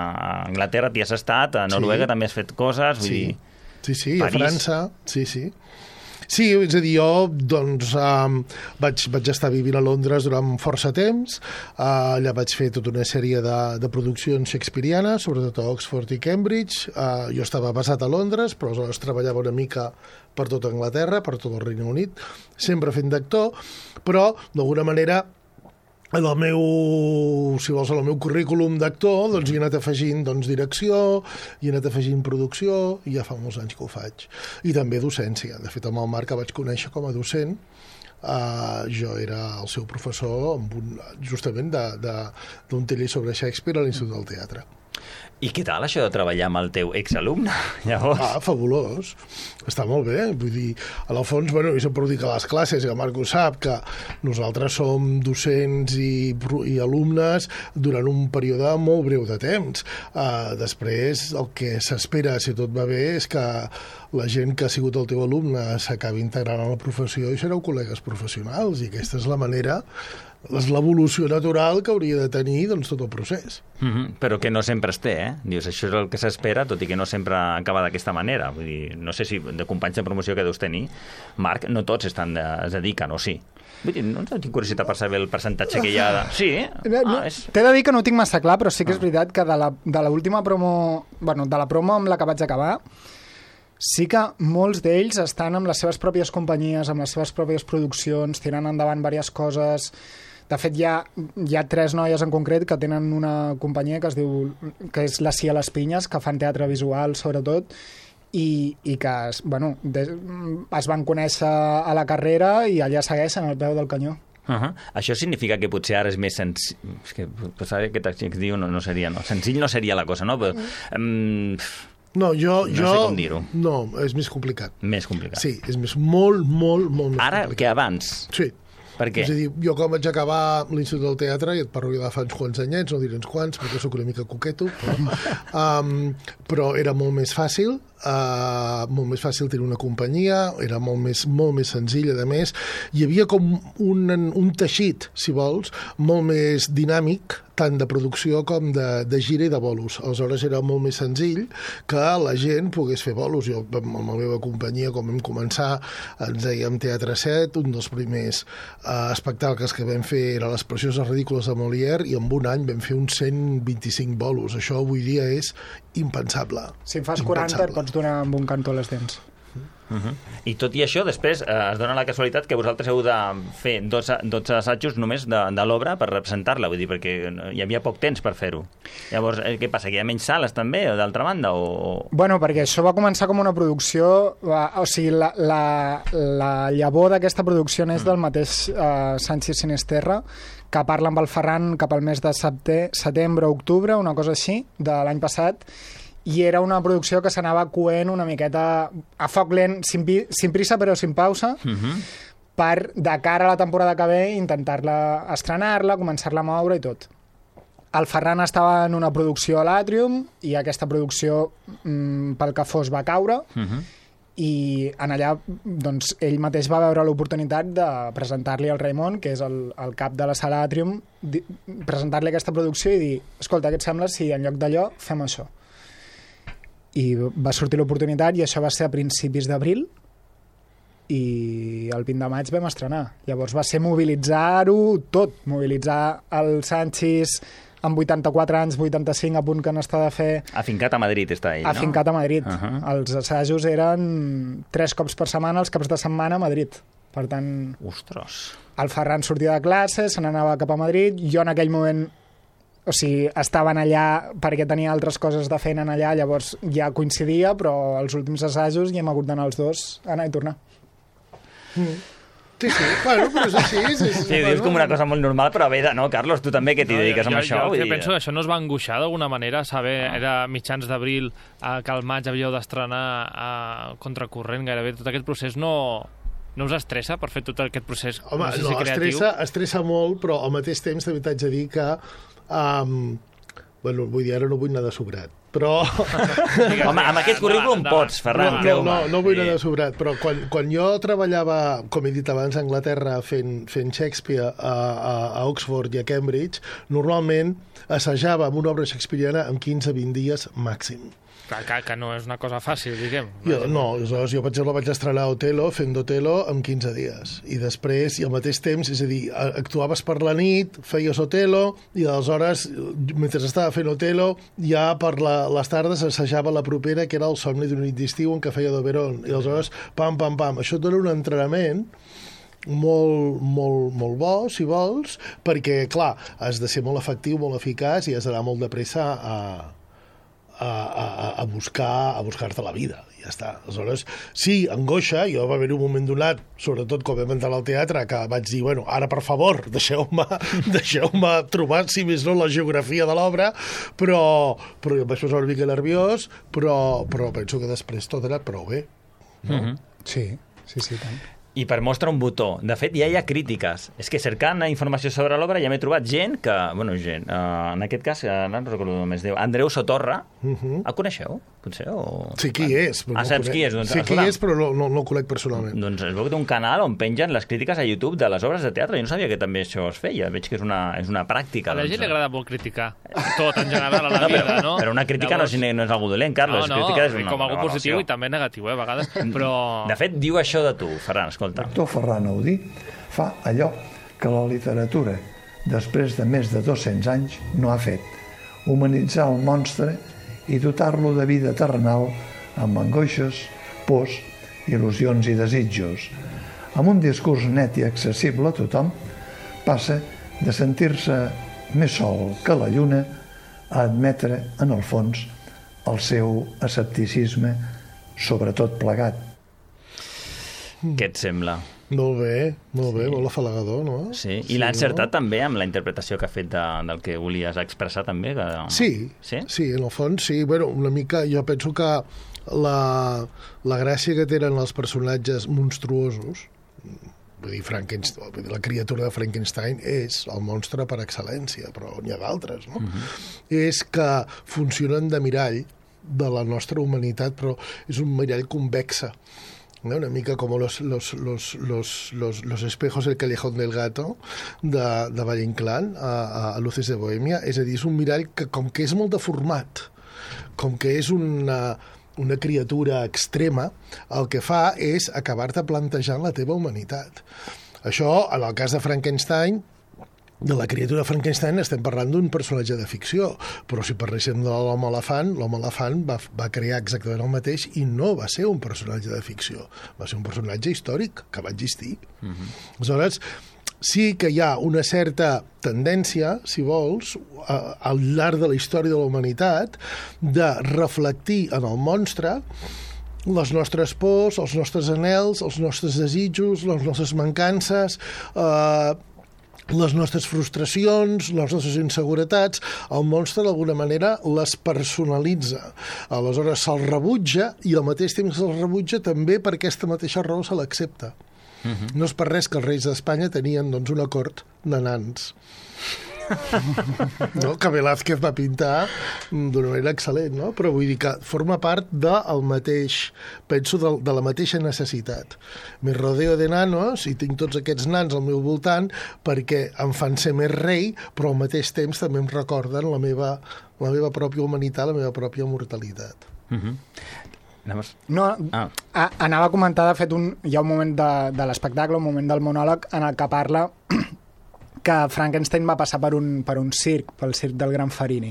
[SPEAKER 5] Anglaterra, t'hi has estat, a Noruega sí. també has fet coses, vull
[SPEAKER 11] sí.
[SPEAKER 5] dir...
[SPEAKER 11] Sí, sí,
[SPEAKER 5] París.
[SPEAKER 11] a França, sí, sí. Sí, és a dir, jo doncs, um, vaig, vaig estar vivint a Londres durant força temps, uh, allà vaig fer tota una sèrie de, de produccions shakespearianes, sobretot a Oxford i Cambridge. Uh, jo estava basat a Londres, però aleshores treballava una mica per tota Anglaterra, per tot el Regne Unit, sempre fent d'actor, però d'alguna manera en el meu, si vols, en el meu currículum d'actor, doncs hi he anat afegint doncs, direcció, hi he anat afegint producció, i ja fa molts anys que ho faig. I també docència. De fet, amb el Marc que vaig conèixer com a docent, uh, jo era el seu professor amb un, justament d'un taller sobre Shakespeare a l'Institut del Teatre.
[SPEAKER 5] I què tal això de treballar amb el teu exalumne, llavors?
[SPEAKER 11] Ah, fabulós. Està molt bé. Vull dir, a la fons, bueno, jo sempre ho dic a les classes, i el Marc ho sap, que nosaltres som docents i, i alumnes durant un període molt breu de temps. Uh, després, el que s'espera, si tot va bé, és que la gent que ha sigut el teu alumne s'acabi integrant a la professió i sereu col·legues professionals, i aquesta és la manera és l'evolució natural que hauria de tenir doncs, tot el procés.
[SPEAKER 5] Mm-hmm. Però que no sempre es té, eh? Dius, això és el que s'espera, tot i que no sempre acaba d'aquesta manera. Vull dir, no sé si de companys de promoció que deus tenir, Marc, no tots estan de, es dediquen, o sí? Vull dir, no tinc curiositat per saber el percentatge que hi ha de... Sí,
[SPEAKER 10] no, no,
[SPEAKER 5] ah, és...
[SPEAKER 10] T'he de dir que no ho tinc massa clar, però sí que és veritat que de la, de l'última promo... Bueno, de la promo amb la que vaig acabar, sí que molts d'ells estan amb les seves pròpies companyies, amb les seves pròpies produccions, tirant endavant diverses coses. De fet, hi ha, hi ha tres noies en concret que tenen una companyia que es diu que és la Cia Les Pinyes, que fan teatre visual, sobretot, i, i que es, bueno, de, es van conèixer a la carrera i allà segueixen al peu del canyó.
[SPEAKER 5] Uh-huh. Això significa que potser ara és més senzill... És que potser aquest que diu no, no seria... No. Senzill no seria la cosa, no? Però, um...
[SPEAKER 11] No, jo...
[SPEAKER 5] No
[SPEAKER 11] jo,
[SPEAKER 5] sé com dir-ho.
[SPEAKER 11] No, és més complicat.
[SPEAKER 5] Més complicat.
[SPEAKER 11] Sí, és més, molt, molt, molt més
[SPEAKER 5] Ara
[SPEAKER 11] complicat.
[SPEAKER 5] que abans?
[SPEAKER 11] Sí.
[SPEAKER 5] Per què?
[SPEAKER 11] És a dir, jo quan vaig acabar l'Institut del Teatre, i et parlo de fa uns quants anyets, no diré uns quants, perquè sóc una mica coqueto, però, um, però era molt més fàcil, uh, molt més fàcil tenir una companyia, era molt més, molt més senzill, a més. Hi havia com un, un teixit, si vols, molt més dinàmic, tant de producció com de, de gira i de bolos. Aleshores era molt més senzill que la gent pogués fer bolos. Jo, amb la meva companyia, com vam començar, ens dèiem Teatre set, un dels primers uh, espectacles que vam fer era Les precioses ridícules de Molière, i en un any vam fer uns cent vint-i-cinc bolos. Això avui dia és impensable.
[SPEAKER 10] Si en fas quaranta et pots donar amb un cantó a les dents.
[SPEAKER 5] Uh-huh. I tot i això, després eh, es dona la casualitat que vosaltres heu de fer dotze, dotze assajos només de, de l'obra per representar-la, vull dir, perquè hi havia poc temps per fer-ho. Llavors, eh, què passa, que hi ha menys sales també, d'altra banda? O...
[SPEAKER 10] Bueno, perquè això va començar com una producció, o sigui, la, la, la llavor d'aquesta producció és del mateix eh, Sánchez Sinisterra, que parla amb el Ferran cap al mes de setembre o octubre, una cosa així, de l'any passat, i era una producció que s'anava coent una miqueta a foc lent, sin, sin prisa però sin pausa, uh-huh. per, de cara a la temporada que ve, intentar-la estrenar-la, començar-la a moure i tot. El Ferran estava en una producció a l'Àtrium i aquesta producció, mm, pel que fos, va caure, uh-huh. i en allà doncs, ell mateix va veure l'oportunitat de presentar-li al Raimon, que és el, el cap de la sala Àtrium, presentar-li aquesta producció i dir, escolta, què et sembla si en lloc d'allò fem això? I va sortir l'oportunitat i això va ser a principis d'abril i el vint de maig vam estrenar. Llavors va ser mobilitzar-ho tot, mobilitzar el Sanchis amb vuitanta-quatre anys, vuitanta-cinc a punt que n'està de fer...
[SPEAKER 5] Afincat a Madrid està ell, no?
[SPEAKER 10] Afincat a Madrid.
[SPEAKER 5] Uh-huh.
[SPEAKER 10] Els assajos eren tres cops per setmana, els caps de setmana a Madrid. Per tant...
[SPEAKER 5] Ostres!
[SPEAKER 10] El Ferran sortia de classe, se n'anava cap a Madrid, jo en aquell moment... O sigui, estaven allà perquè tenia altres coses de feina allà, llavors ja coincidia, però els últims assajos ja hem hagut d'anar els dos, anar i tornar.
[SPEAKER 11] Mm. Sí, sí, bueno, però és així. És, és,
[SPEAKER 5] sí, dius com una cosa molt normal, però bé, no, Carlos, tu també que t'hi dediques
[SPEAKER 6] no,
[SPEAKER 5] amb
[SPEAKER 6] jo,
[SPEAKER 5] això.
[SPEAKER 6] Jo
[SPEAKER 5] vull
[SPEAKER 6] que
[SPEAKER 5] dir...
[SPEAKER 6] penso que això no es va angoixar d'alguna manera, saber, ah. era mitjans d'abril, eh, que al maig havíeu d'estrenar a contracorrent gairebé, tot aquest procés no... No us estressa per fer tot aquest procés?
[SPEAKER 11] Home,
[SPEAKER 6] no, sé si
[SPEAKER 11] no estressa, estressa molt, però al mateix temps també t'haig de dir que Um, bueno, vull dir, ara no vull anar de sobrat, però...
[SPEAKER 5] Home, amb aquest currículum pots, Ferran.
[SPEAKER 11] No, no, no, no vull anar de sobrat, però quan, quan jo treballava, com he dit abans, a Anglaterra fent, fent Shakespeare a, a, a Oxford i a Cambridge, normalment assajava amb una obra shakespeariana en quinze a vint dies màxim.
[SPEAKER 6] Que, que, que no és una cosa fàcil, diguem.
[SPEAKER 11] Jo, no, aleshores, jo, per exemple, vaig estrenar Otelo fent d'Otelo en quinze dies. I després, i al mateix temps, és a dir, actuaves per la nit, feies Otelo, i aleshores, mentre estava fent Otelo, ja per la, les tardes assajava la propera, que era El somni d'una nit d'estiu, en què feia d'Oberon. I aleshores, pam, pam, pam. Això et dona un entrenament molt, molt, molt bo, si vols, perquè, clar, has de ser molt efectiu, molt eficaç, i has d'anar molt de pressa a... A, a, a buscar a buscar-te la vida, ja està. Aleshores, sí, angoixa, jo va haver un moment donat, sobretot quan vam entrar al teatre, que vaig dir, bueno, ara per favor, deixeu-me deixeu-me trobar, si més no, la geografia de l'obra, però, però em vaig posar una mica nerviós, però, però penso que després tot ha anat prou bé. No?
[SPEAKER 10] Mm-hmm. Sí, sí, sí, tant.
[SPEAKER 5] I per mostrar un botó. De fet, ja hi ha crítiques. És que cercant informació sobre l'obra ja m'he trobat gent que... Bueno, gent... Uh, en aquest cas, uh, no recordo només Déu. Andreu Sotorra. Uh-huh. El coneixeu? potser? O...
[SPEAKER 11] Sí, qui és.
[SPEAKER 5] Ah,
[SPEAKER 11] no
[SPEAKER 5] saps qui és? Doncs,
[SPEAKER 11] sí, qui és, però no, no, no el conec personalment.
[SPEAKER 5] Doncs es veu que té un canal on pengen les crítiques a YouTube de les obres de teatre. Jo no sabia que també això es feia. Veig que és una, és una pràctica.
[SPEAKER 6] A la
[SPEAKER 5] doncs.
[SPEAKER 6] gent li agrada molt criticar tot en general a la
[SPEAKER 5] no,
[SPEAKER 6] vida,
[SPEAKER 5] però,
[SPEAKER 6] no?
[SPEAKER 5] Però una crítica
[SPEAKER 6] Llavors...
[SPEAKER 5] no, és, no és algú dolent, Carles.
[SPEAKER 6] No, no,
[SPEAKER 5] crítica és una,
[SPEAKER 6] com algú
[SPEAKER 5] una
[SPEAKER 6] positiu i també negatiu, eh, a vegades, però...
[SPEAKER 5] De fet, diu això de tu, Ferran, escolta.
[SPEAKER 12] L'actor Ferran Audí fa allò que la literatura, després de més de dos-cents anys, no ha fet. Humanitzar el monstre i dotar-lo de vida terrenal amb angoixes, pors, il·lusions i desitjos. Amb un discurs net i accessible a tothom, passa de sentir-se més sol que la lluna a admetre, en el fons, el seu escepticisme sobre tot plegat.
[SPEAKER 5] Què et sembla?
[SPEAKER 11] Molt bé, molt bé, sí. Molt afalagador, no?
[SPEAKER 5] Sí, i sí, l'ha encertat no? també amb la interpretació que ha fet de, del que volies expressar també? Que...
[SPEAKER 11] Sí, sí, sí, en el fons sí. Bueno, una mica, jo penso que la, la gràcia que tenen els personatges monstruosos, vull dir, Frankenstein, vull dir, la criatura de Frankenstein és el monstre per excel·lència, però n'hi ha d'altres, no? Uh-huh. És que funcionen de mirall de la nostra humanitat, però és un mirall convexa. Una mica com los, los, los, los, los, los espejos del callejón del gato de, de Valle Inclán a, a Luces de Bohèmia. És a dir, és un mirall que com que és molt deformat, com que és una, una criatura extrema, el que fa és acabar-te plantejant la teva humanitat. Això, en el cas de Frankenstein, de la criatura Frankenstein estem parlant d'un personatge de ficció, però si parléssim de l'home elefant, l'home elefant va, va crear exactament el mateix i no va ser un personatge de ficció, va ser un personatge històric que va existir. Uh-huh. Aleshores, sí que hi ha una certa tendència, si vols, a, al llarg de la història de la humanitat, de reflectir en el monstre les nostres pors, els nostres anhels, els nostres desitjos, les nostres mancances, eh, les nostres frustracions, les nostres inseguretats. El monstre d'alguna manera les personalitza, aleshores se'l rebutja i al mateix temps se'l rebutja també per aquesta mateixa raó se l'accepta. Uh-huh. No és per res que els reis d'Espanya tenien doncs, una cort de nans. No? Que Velázquez va pintar d'una manera excel·lent, no? Però vull dir que forma part del mateix, penso, de, de la mateixa necessitat. Me rodeo de nanos i tinc tots aquests nans al meu voltant perquè em fan ser més rei, però al mateix temps també em recorden la meva, la meva pròpia humanitat, la meva pròpia mortalitat.
[SPEAKER 5] Uh-huh. Anaves...
[SPEAKER 10] No, ah. a, anava a comentar, de fet, un, hi ha un moment de, de l'espectacle, un moment del monòleg en el que parla que Frankenstein va passar per un, per un circ, pel circ del Gran Farini.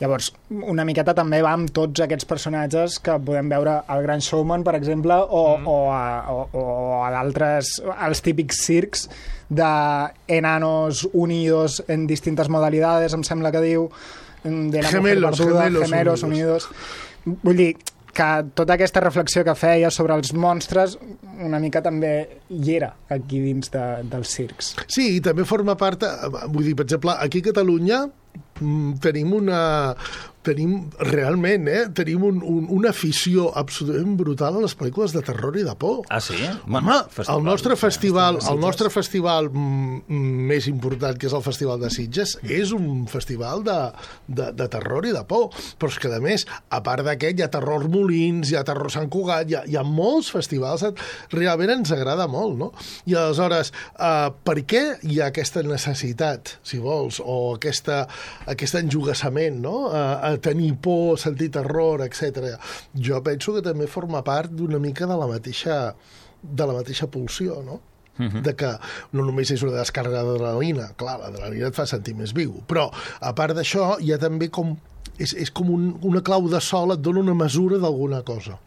[SPEAKER 10] Llavors, una miqueta també va amb tots aquests personatges que podem veure al Gran Showman, per exemple, o, mm. o a, o, o a d'altres, els típics circs d'enanos unidos en distintes modalidades, em sembla que diu, de la
[SPEAKER 11] gemelos,
[SPEAKER 10] perduda,
[SPEAKER 11] gemelos,
[SPEAKER 10] gemelos unidos. unidos. Vull dir, que tota aquesta reflexió que feia sobre els monstres una mica també hi era aquí dins de, dels circs.
[SPEAKER 11] Sí, i també forma part, vull dir, per exemple, aquí a Catalunya tenim una... tenim realment, eh? Tenim un, un, una afició absolutament brutal a les pel·lícules de terror i de por.
[SPEAKER 5] Ah, sí?
[SPEAKER 11] Home, el nostre festival, el nostre festival més important, que és el Festival de Sitges, és un festival de, de, de terror i de por. Però és que, a més, a part d'aquest, hi ha Terror Molins, hi ha Terror Sant Cugat, hi ha, hi ha molts festivals, realment ens agrada molt, no? I aleshores, eh, per què hi ha aquesta necessitat, si vols, o aquesta, aquest enjugassament, no?, a tenir por, sentir terror, etcètera. Jo penso que també forma part d'una mica de la mateixa, de la mateixa pulsió, no? Uh-huh. De que no només és una descàrrega d'adrenalina, clar, l'adrenalina et fa sentir més viu, però a part d'això hi ha també com, és, és com un, una clau de sol, et dona una mesura d'alguna cosa.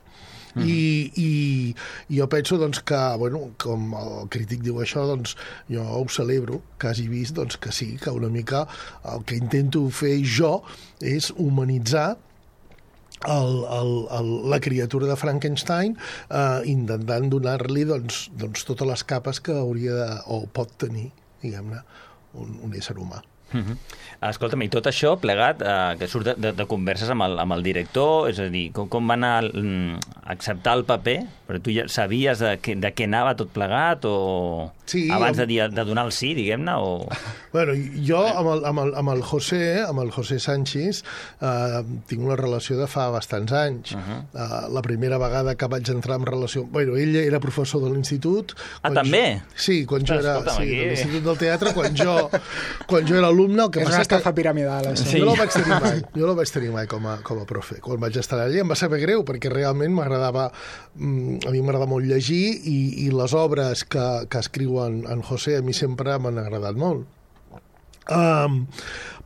[SPEAKER 11] Uh-huh. I, i jo penso doncs, que, bueno, com el crític diu això, doncs, jo ho celebro, que hagi vist doncs, que sí, que una mica el que intento fer jo és humanitzar el, el, el, la criatura de Frankenstein, eh, intentant donar-li doncs, doncs, totes les capes que hauria de, o pot tenir, diguem-ne, un, un ésser humà.
[SPEAKER 5] Uh-huh. Escolta'm, i tot això plegat, eh, que surt de, de, de converses amb el, amb el director, és a dir, com, com va anar a acceptar el paper? Però tu ja sabies de, que, de què anava tot plegat o...?
[SPEAKER 11] Sí,
[SPEAKER 5] abans
[SPEAKER 11] amb...
[SPEAKER 5] de, dir, de donar el sí, diguem-ne, o...
[SPEAKER 11] Bueno, jo amb el, amb el, amb el José, amb el José Sánchez, eh, tinc una relació de fa bastants anys. Uh -huh. eh, la primera vegada que vaig entrar en relació... Bueno, ell era professor de l'institut.
[SPEAKER 5] Ah, també?
[SPEAKER 11] Jo... Sí, quan jo era...
[SPEAKER 5] Escolta'm,
[SPEAKER 11] sí,
[SPEAKER 5] aquí...
[SPEAKER 11] de l'Institut del Teatre, quan jo, quan jo era alumne... El que
[SPEAKER 10] és
[SPEAKER 11] passa
[SPEAKER 10] una estafa
[SPEAKER 11] que...
[SPEAKER 10] piramidal, això.
[SPEAKER 11] Sí. Jo no el vaig tenir mai, jo no el vaig tenir mai com a, com a profe. Quan vaig estar allà em va saber greu, perquè realment m'agradava... A mi m'agrada molt llegir i, i les obres que, que escriu en, en José a mi sempre m'han agradat molt. Um,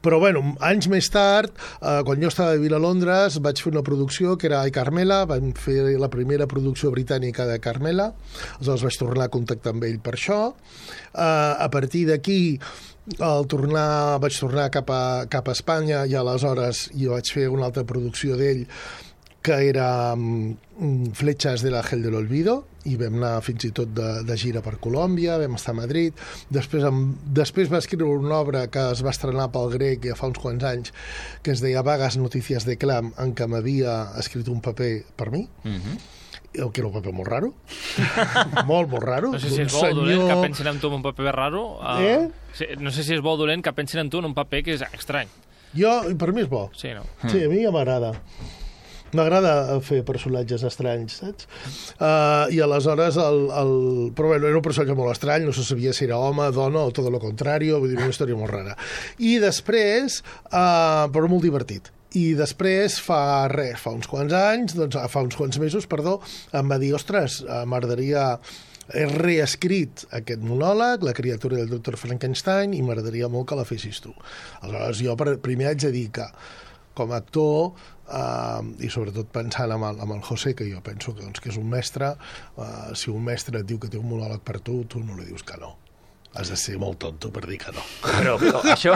[SPEAKER 11] però, bueno, anys més tard, uh, quan jo estava vivint a Londres, vaig fer una producció que era Ai Carmela, vam fer la primera producció britànica de Carmela, aleshores vaig tornar a contactar amb ell per això. Uh, a partir d'aquí, al tornar, vaig tornar cap a, cap a Espanya i aleshores jo vaig fer una altra producció d'ell que era um, Fletxes de l'Àngel de l'Olvido, i vam anar fins i tot de, de gira per Colòmbia, vam estar a Madrid, després, em, després va escriure una obra que es va estrenar pel Grec ja fa uns quants anys, que es deia Vagas Notícies de Clam, en què m'havia escrit un paper per mi, uh-huh. que era un paper molt raro, molt, molt raro.
[SPEAKER 6] No sé si és bo o
[SPEAKER 11] senyor...
[SPEAKER 6] dolent que pensin en tu en un paper raro. Uh,
[SPEAKER 11] eh?
[SPEAKER 6] No sé si és bo o dolent que pensin en tu en un paper que és estrany.
[SPEAKER 11] Jo, per mi és bo.
[SPEAKER 6] Sí, no?
[SPEAKER 11] Sí, a mi ja m'agrada. M'agrada fer personatges estranys, saps? Uh, I aleshores, el, el... però bueno, era un personatge molt estrany, no se sabia si era home, dona o tot el contrari, vull dir, una història molt rara. I després, uh, però molt divertit. I després, fa res, fa uns quants anys, doncs, fa uns quants mesos, perdó, em va dir, ostres, m'agradaria... He reescrit aquest monòleg, La criatura del doctor Frankenstein, i m'agradaria molt que la fessis tu. Aleshores, jo primer haig de dir que, com a actor, uh, i sobretot pensant amb el, amb el José, que jo penso que, doncs, que és un mestre, uh, si un mestre et diu que té un monòleg per tu, tu no li dius que no. Has de ser molt tonto per dir que no.
[SPEAKER 5] Però, però això,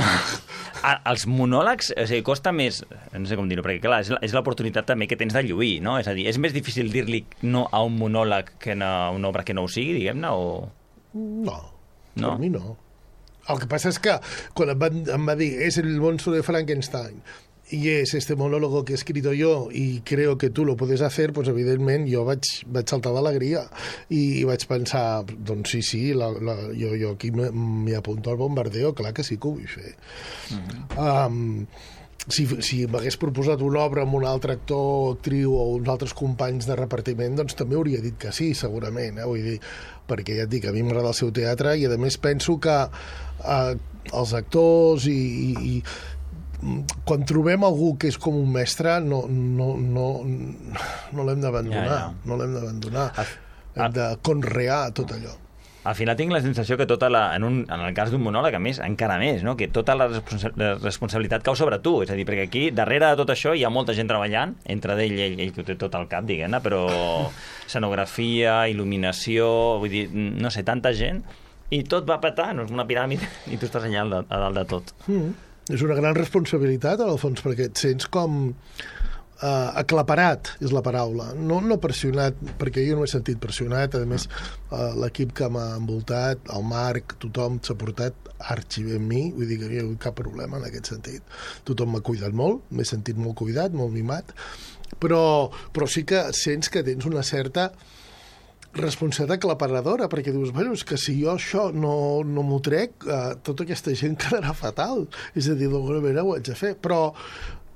[SPEAKER 5] a, els monòlegs, o sigui, costa més, no sé com dir-ho, perquè clar, és l'oportunitat també que tens de lluir, no? És a dir, és més difícil dir-li no a un monòleg que a una obra que no ho sigui, diguem-ne, o...
[SPEAKER 11] No,
[SPEAKER 5] no,
[SPEAKER 11] per mi no. El que passa és que quan em, van, em va dir és el monstruo de Frankenstein y es este monólogo que he escrito yo y creo que tú lo puedes hacer, pues evidentment jo vaig, vaig saltar d'alegria i, i vaig pensar, doncs sí, sí, la, la, jo, jo aquí m'hi apunto al bombardeo, clar que sí que ho vull fer. Mm-hmm. um, si, si m'hagués proposat una obra amb un altre actor, actriu o uns altres companys de repartiment, doncs també hauria dit que sí, segurament, eh? Vull dir, perquè ja et dic, a mi m'agrada el seu teatre i a més penso que uh, els actors i, i, i quan trobem algú que és com un mestre no, no, no, no l'hem d'abandonar, ja, ja. no l'hem d'abandonar, hem de conrear tot allò.
[SPEAKER 5] Al final tinc la sensació que tota la, en, un, en el cas d'un monòleg, a més, encara més, no? Que tota la, responsa la responsabilitat cau sobre tu, és a dir, perquè aquí, darrere de tot això, hi ha molta gent treballant, entre d'ell, ell, ell que ho té tot al cap, diguem-ne, però escenografia, il·luminació, vull dir, no sé, tanta gent, i tot va petar, no és una piràmide, i tu estàs allà a dalt de tot.
[SPEAKER 11] Mm. És una gran responsabilitat, en el fons, perquè et sents com uh, aclaparat, és la paraula. No, no pressionat, perquè jo no m'he sentit pressionat. A més, uh, l'equip que m'ha envoltat, el Marc, tothom s'ha portat arxi bé amb mi, vull dir que no hi ha hagut cap problema en aquest sentit. Tothom m'ha cuidat molt, m'he sentit molt cuidat, molt mimat, però, però sí que sents que tens una certa responsabilitat aclaparadora, perquè dius, bueno, és que si jo això no, no m'ho trec, eh, tota aquesta gent quedarà fatal. És a dir, d'alguna manera ho haig de fer. Però,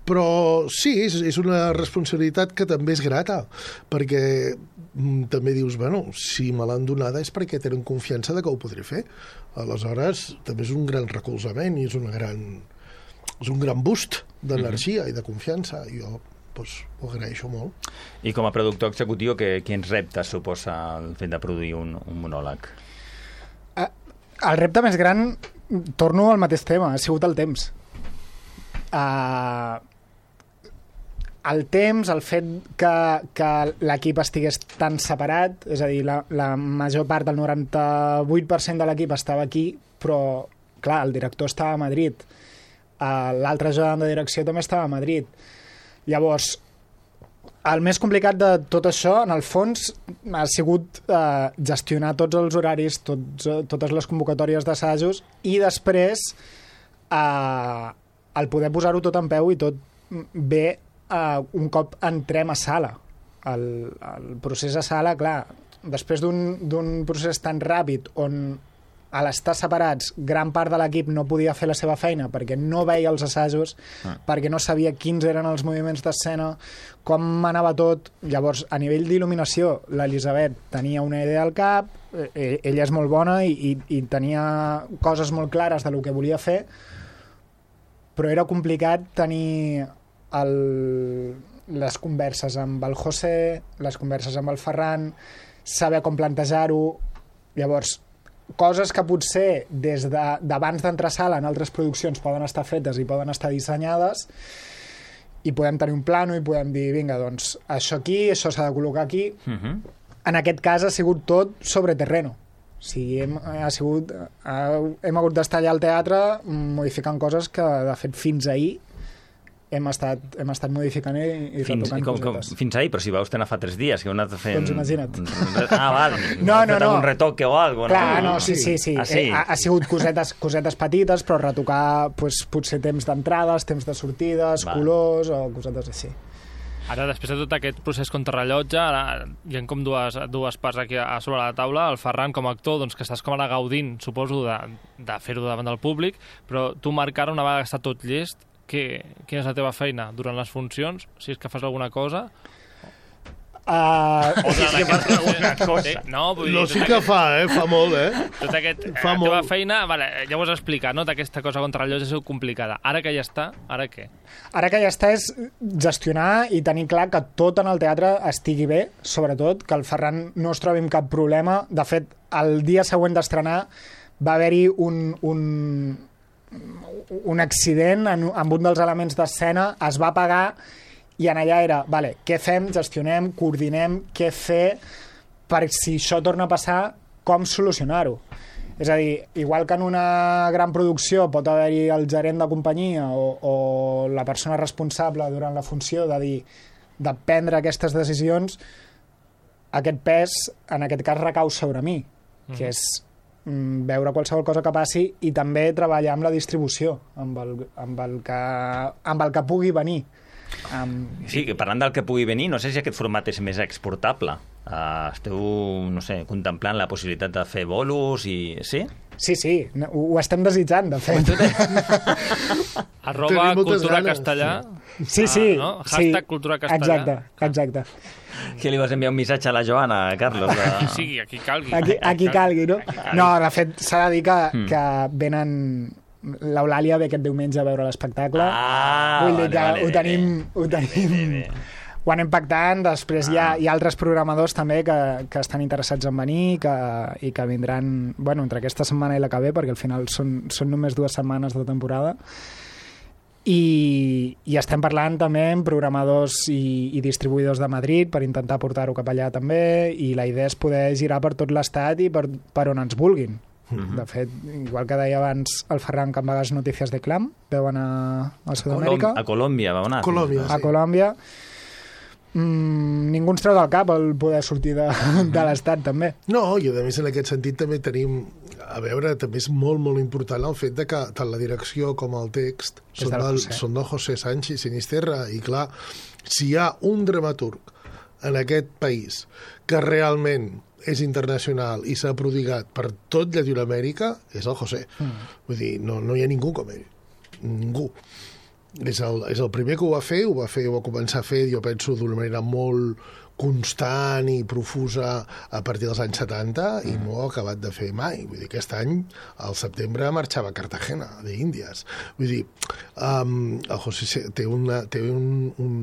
[SPEAKER 11] però sí, és, és una responsabilitat que també és grata, perquè mm, també dius, bueno, si me l'han donada és perquè tenen confiança de que ho podré fer. Aleshores, també és un gran recolzament i és, una gran, és un gran boost d'energia mm-hmm. i de confiança. I jo pues, ho agraeixo molt.
[SPEAKER 5] I com a productor executiu, que, quins reptes suposa el fet de produir un, un monòleg?
[SPEAKER 10] Uh, el repte més gran, torno al mateix tema, ha sigut el temps. Uh, el temps, el fet que, que l'equip estigués tan separat, és a dir, la, la major part, el noranta-vuit per cent de l'equip estava aquí, però, clar, el director estava a Madrid. Uh, l'altre ajudant de direcció també estava a Madrid. Llavors, el més complicat de tot això, en el fons, ha sigut eh, gestionar tots els horaris, tots, totes les convocatòries d'assajos i després eh, el poder posar-ho tot en peu i tot bé eh, un cop entrem a sala. El, el procés a sala, clar, després d'un procés tan ràpid on a l'estar separats, gran part de l'equip no podia fer la seva feina perquè no veia els assajos, ah. perquè no sabia quins eren els moviments d'escena, com anava tot. Llavors, a nivell d'il·luminació, l'Elisabet tenia una idea al cap, eh, ella és molt bona i, i, i tenia coses molt clares del que volia fer, però era complicat tenir el, les converses amb el José, les converses amb el Ferran, saber com plantejar-ho. Llavors, coses que potser des d'abans d'entrar a sala en altres produccions poden estar fetes i poden estar dissenyades i podem tenir un plano i podem dir, vinga, doncs això aquí, això s'ha de col·locar aquí. Uh-huh. En aquest cas ha sigut tot sobre terreno. O sigui, hem, ha sigut, ha, hem hagut d'estar allà al teatre modificant coses que, de fet, fins ahir hem estat, hem estat modificant i, i
[SPEAKER 5] fins,
[SPEAKER 10] retocant
[SPEAKER 5] com,
[SPEAKER 10] cosetes.
[SPEAKER 5] Com, fins ahir, però si vau estar fa tres dies, que heu anat fent...
[SPEAKER 10] Doncs imagina't.
[SPEAKER 5] Ah, val.
[SPEAKER 10] No, no, no.
[SPEAKER 5] Un retoque o alguna cosa.
[SPEAKER 10] Clar, no, sí, sí, sí.
[SPEAKER 5] Ah, sí?
[SPEAKER 10] Ha, ha sigut cosetes, cosetes petites, però retocar pues, potser temps d'entrades, temps de sortides, val. Colors o cosetes així.
[SPEAKER 6] Ara, després de tot aquest procés contrarrellotge, ara hi ha com dues, dues parts aquí a sobre la taula. El Ferran, com a actor, doncs, que estàs com ara gaudint, suposo, de, de fer-ho davant del públic, però tu, Marc, ara, una vegada que està tot llest, que, quina és la teva feina durant les funcions? Si és que fas alguna cosa...
[SPEAKER 10] Uh,
[SPEAKER 6] o durant aquesta alguna cosa. No, vull dir,
[SPEAKER 11] no sí que fa, eh? Fa molt, eh?
[SPEAKER 6] Tot aquest,
[SPEAKER 11] fa
[SPEAKER 6] la
[SPEAKER 11] molt.
[SPEAKER 6] teva feina, vale, ja ho has explicat, no? Aquesta cosa contra el lloc és complicada. Ara que ja està, ara què?
[SPEAKER 10] Ara que ja està és gestionar i tenir clar que tot en el teatre estigui bé, sobretot, que el Ferran no es trobi amb cap problema. De fet, el dia següent d'estrenar va haver-hi un... un un accident en, amb un dels elements d'escena, es va apagar i en allà era, vale, què fem, gestionem, coordinem, què fer per si això torna a passar, com solucionar-ho. És a dir, igual que en una gran producció pot haver-hi el gerent de companyia o, o la persona responsable durant la funció de dir, de prendre aquestes decisions, aquest pes, en aquest cas, recau sobre mi, mm-hmm. que és veure qualsevol cosa que passi i també treballar amb la distribució, amb el, amb el, que, amb el que pugui venir.
[SPEAKER 5] Um... Sí, parlant del que pugui venir, no sé si aquest format és més exportable. Uh, esteu, no sé, contemplant la possibilitat de fer bolos i... Sí?
[SPEAKER 10] Sí, sí, ho, ho estem desitjant, de fet.
[SPEAKER 6] Arroba cultura castellà.
[SPEAKER 10] Sí, sí.
[SPEAKER 6] Ah, no? Hashtag
[SPEAKER 10] sí.
[SPEAKER 6] cultura castellà.
[SPEAKER 10] Exacte, exacte.
[SPEAKER 5] Que li vas enviar un missatge a la Joana, Carlos? De...
[SPEAKER 6] Aquí sigui, aquí calgui.
[SPEAKER 10] Aquí, aquí calgui, no? No, de fet, s'ha de dir que, mm. que venen... L'Eulàlia ve aquest diumenge a veure l'espectacle.
[SPEAKER 5] Ah,
[SPEAKER 10] Vull dir que
[SPEAKER 5] vale,
[SPEAKER 10] ho
[SPEAKER 5] vale,
[SPEAKER 10] tenim...
[SPEAKER 5] bé.
[SPEAKER 10] Ho tenim... Bé, bé, bé. Ho anem pactant, després ah. hi, ha, hi ha altres programadors també que, que estan interessats en venir que, i que vindran, bueno, entre aquesta setmana i la que ve, perquè al final són, són només dues setmanes de temporada. I, i estem parlant també amb programadors i, i distribuïdors de Madrid per intentar portar-ho cap allà també, i la idea és poder girar per tot l'estat i per, per on ens vulguin. Mm-hmm. De fet, igual que deia abans el Ferran que amb vegades Notícies de Clam veuen a, a Sud-amèrica.
[SPEAKER 5] A Colòmbia va anar.
[SPEAKER 11] Colòmbia,
[SPEAKER 10] a
[SPEAKER 11] sí.
[SPEAKER 10] Colòmbia. Mm, ningú ens treu del cap el poder sortir de, de l'estat també.
[SPEAKER 11] No, i a més en aquest sentit també tenim, a veure, també és molt molt important el fet de que tant la direcció com el text són del, són del José Sánchez Sinisterra, i clar, si hi ha un dramaturg en aquest país que realment és internacional i s'ha prodigat per tot Llatinoamèrica, és el José. Mm. Vull dir, no, no hi ha ningú com ell. Ningú. És el, és el primer que ho va fer, ho va fer, ho va començar a fer, jo penso, d'una manera molt constant i profusa a partir dels anys setanta, mm. i no ho ha acabat de fer mai. Vull dir, aquest any, al setembre, marxava a Cartagena, d'Índies. Vull dir, um, el José té, una, té, un, un,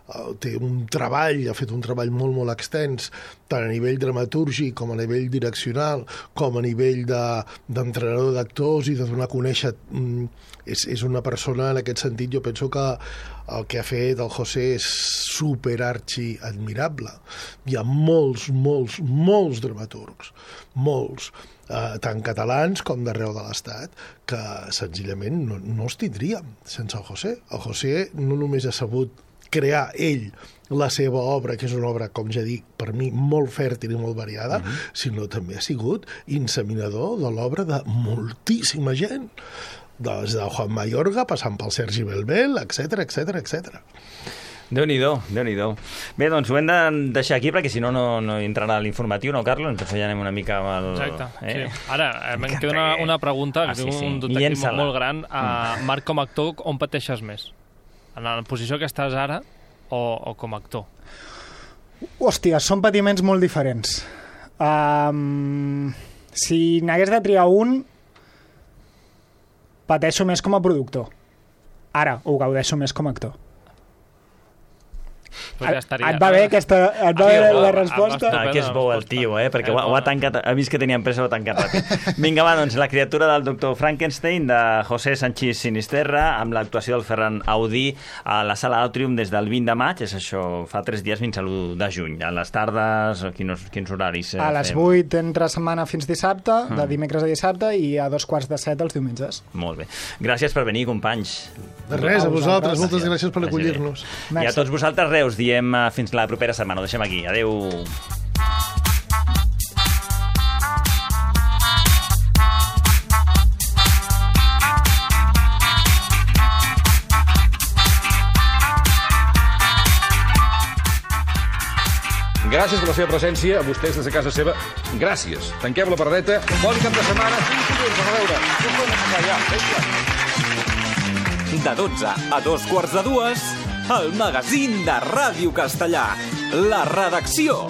[SPEAKER 11] uh, té un treball, ha fet un treball molt, molt extens, tant a nivell dramatúrgic com a nivell direccional, com a nivell d'entrenador de, d'actors i de donar a conèixer... Um, és, és una persona, en aquest sentit, jo penso que el que ha fet el José és superarxi admirable. Hi ha molts, molts, molts dramaturgs, molts, eh, tant catalans com d'arreu de l'Estat, que senzillament no, no els tindríem sense el José. El José no només ha sabut crear ell la seva obra, que és una obra, com ja dic, per mi molt fèrtil i molt variada, uh-huh. sinó també ha sigut inseminador de l'obra de moltíssima gent, des de Juan Mayorga, passant pel Sergi Belbel, etcètera, etcètera, etcètera.
[SPEAKER 5] Déu-n'hi-do, Déu-n'hi-do. Bé, doncs ho hem de deixar aquí, perquè si no, no, no entrarà a l'informatiu, no, Carlos? Ens anem una mica amb el...
[SPEAKER 6] Exacte,
[SPEAKER 5] eh?
[SPEAKER 6] sí. Ara, em queda una, una pregunta,
[SPEAKER 5] ah,
[SPEAKER 6] que
[SPEAKER 5] sí,
[SPEAKER 6] és un
[SPEAKER 5] sí.
[SPEAKER 6] detectiu molt gran. Uh, Marc, com a actor, on pateixes més? En la posició que estàs ara o, o com a actor?
[SPEAKER 10] Hòstia, són patiments molt diferents. Um, si n'hagués de triar un, pateixo més com a productor. Ara, ho gaudeixo més com a actor.
[SPEAKER 6] Ja estaria,
[SPEAKER 10] et va bé aquesta, et va bé la resposta?
[SPEAKER 5] Ah, que és bo el tio, eh? Perquè ho, ho ha tancat, ha vist que tenia empresa, ho ha tancat ràpid. Vinga, va, doncs, La criatura del doctor Frankenstein, de José Sanchís Sinisterra, amb l'actuació del Ferran Audí a la Sala Atrium des del vint de maig, és això, fa tres dies fins a l'u de juny. A les tardes, quins, quins horaris? Eh,
[SPEAKER 10] a les vuit entre setmana fins dissabte, de dimecres a dissabte, i a dos quarts de set els diumenges.
[SPEAKER 5] Molt bé. Gràcies per venir, companys.
[SPEAKER 11] De res, a vosaltres. Moltes gràcies per acollir-nos.
[SPEAKER 5] I a tots vosaltres, Reus, diem fins la propera setmana. Ho deixem aquí. Adéu.
[SPEAKER 13] Gràcies per la seva presència, a vostès des de casa seva. Gràcies. Tanquem la paradeta. Bon cap de setmana. A veure.
[SPEAKER 1] De dotze a dos quarts de dues, el magazín de Ràdio Castellà. La redacció.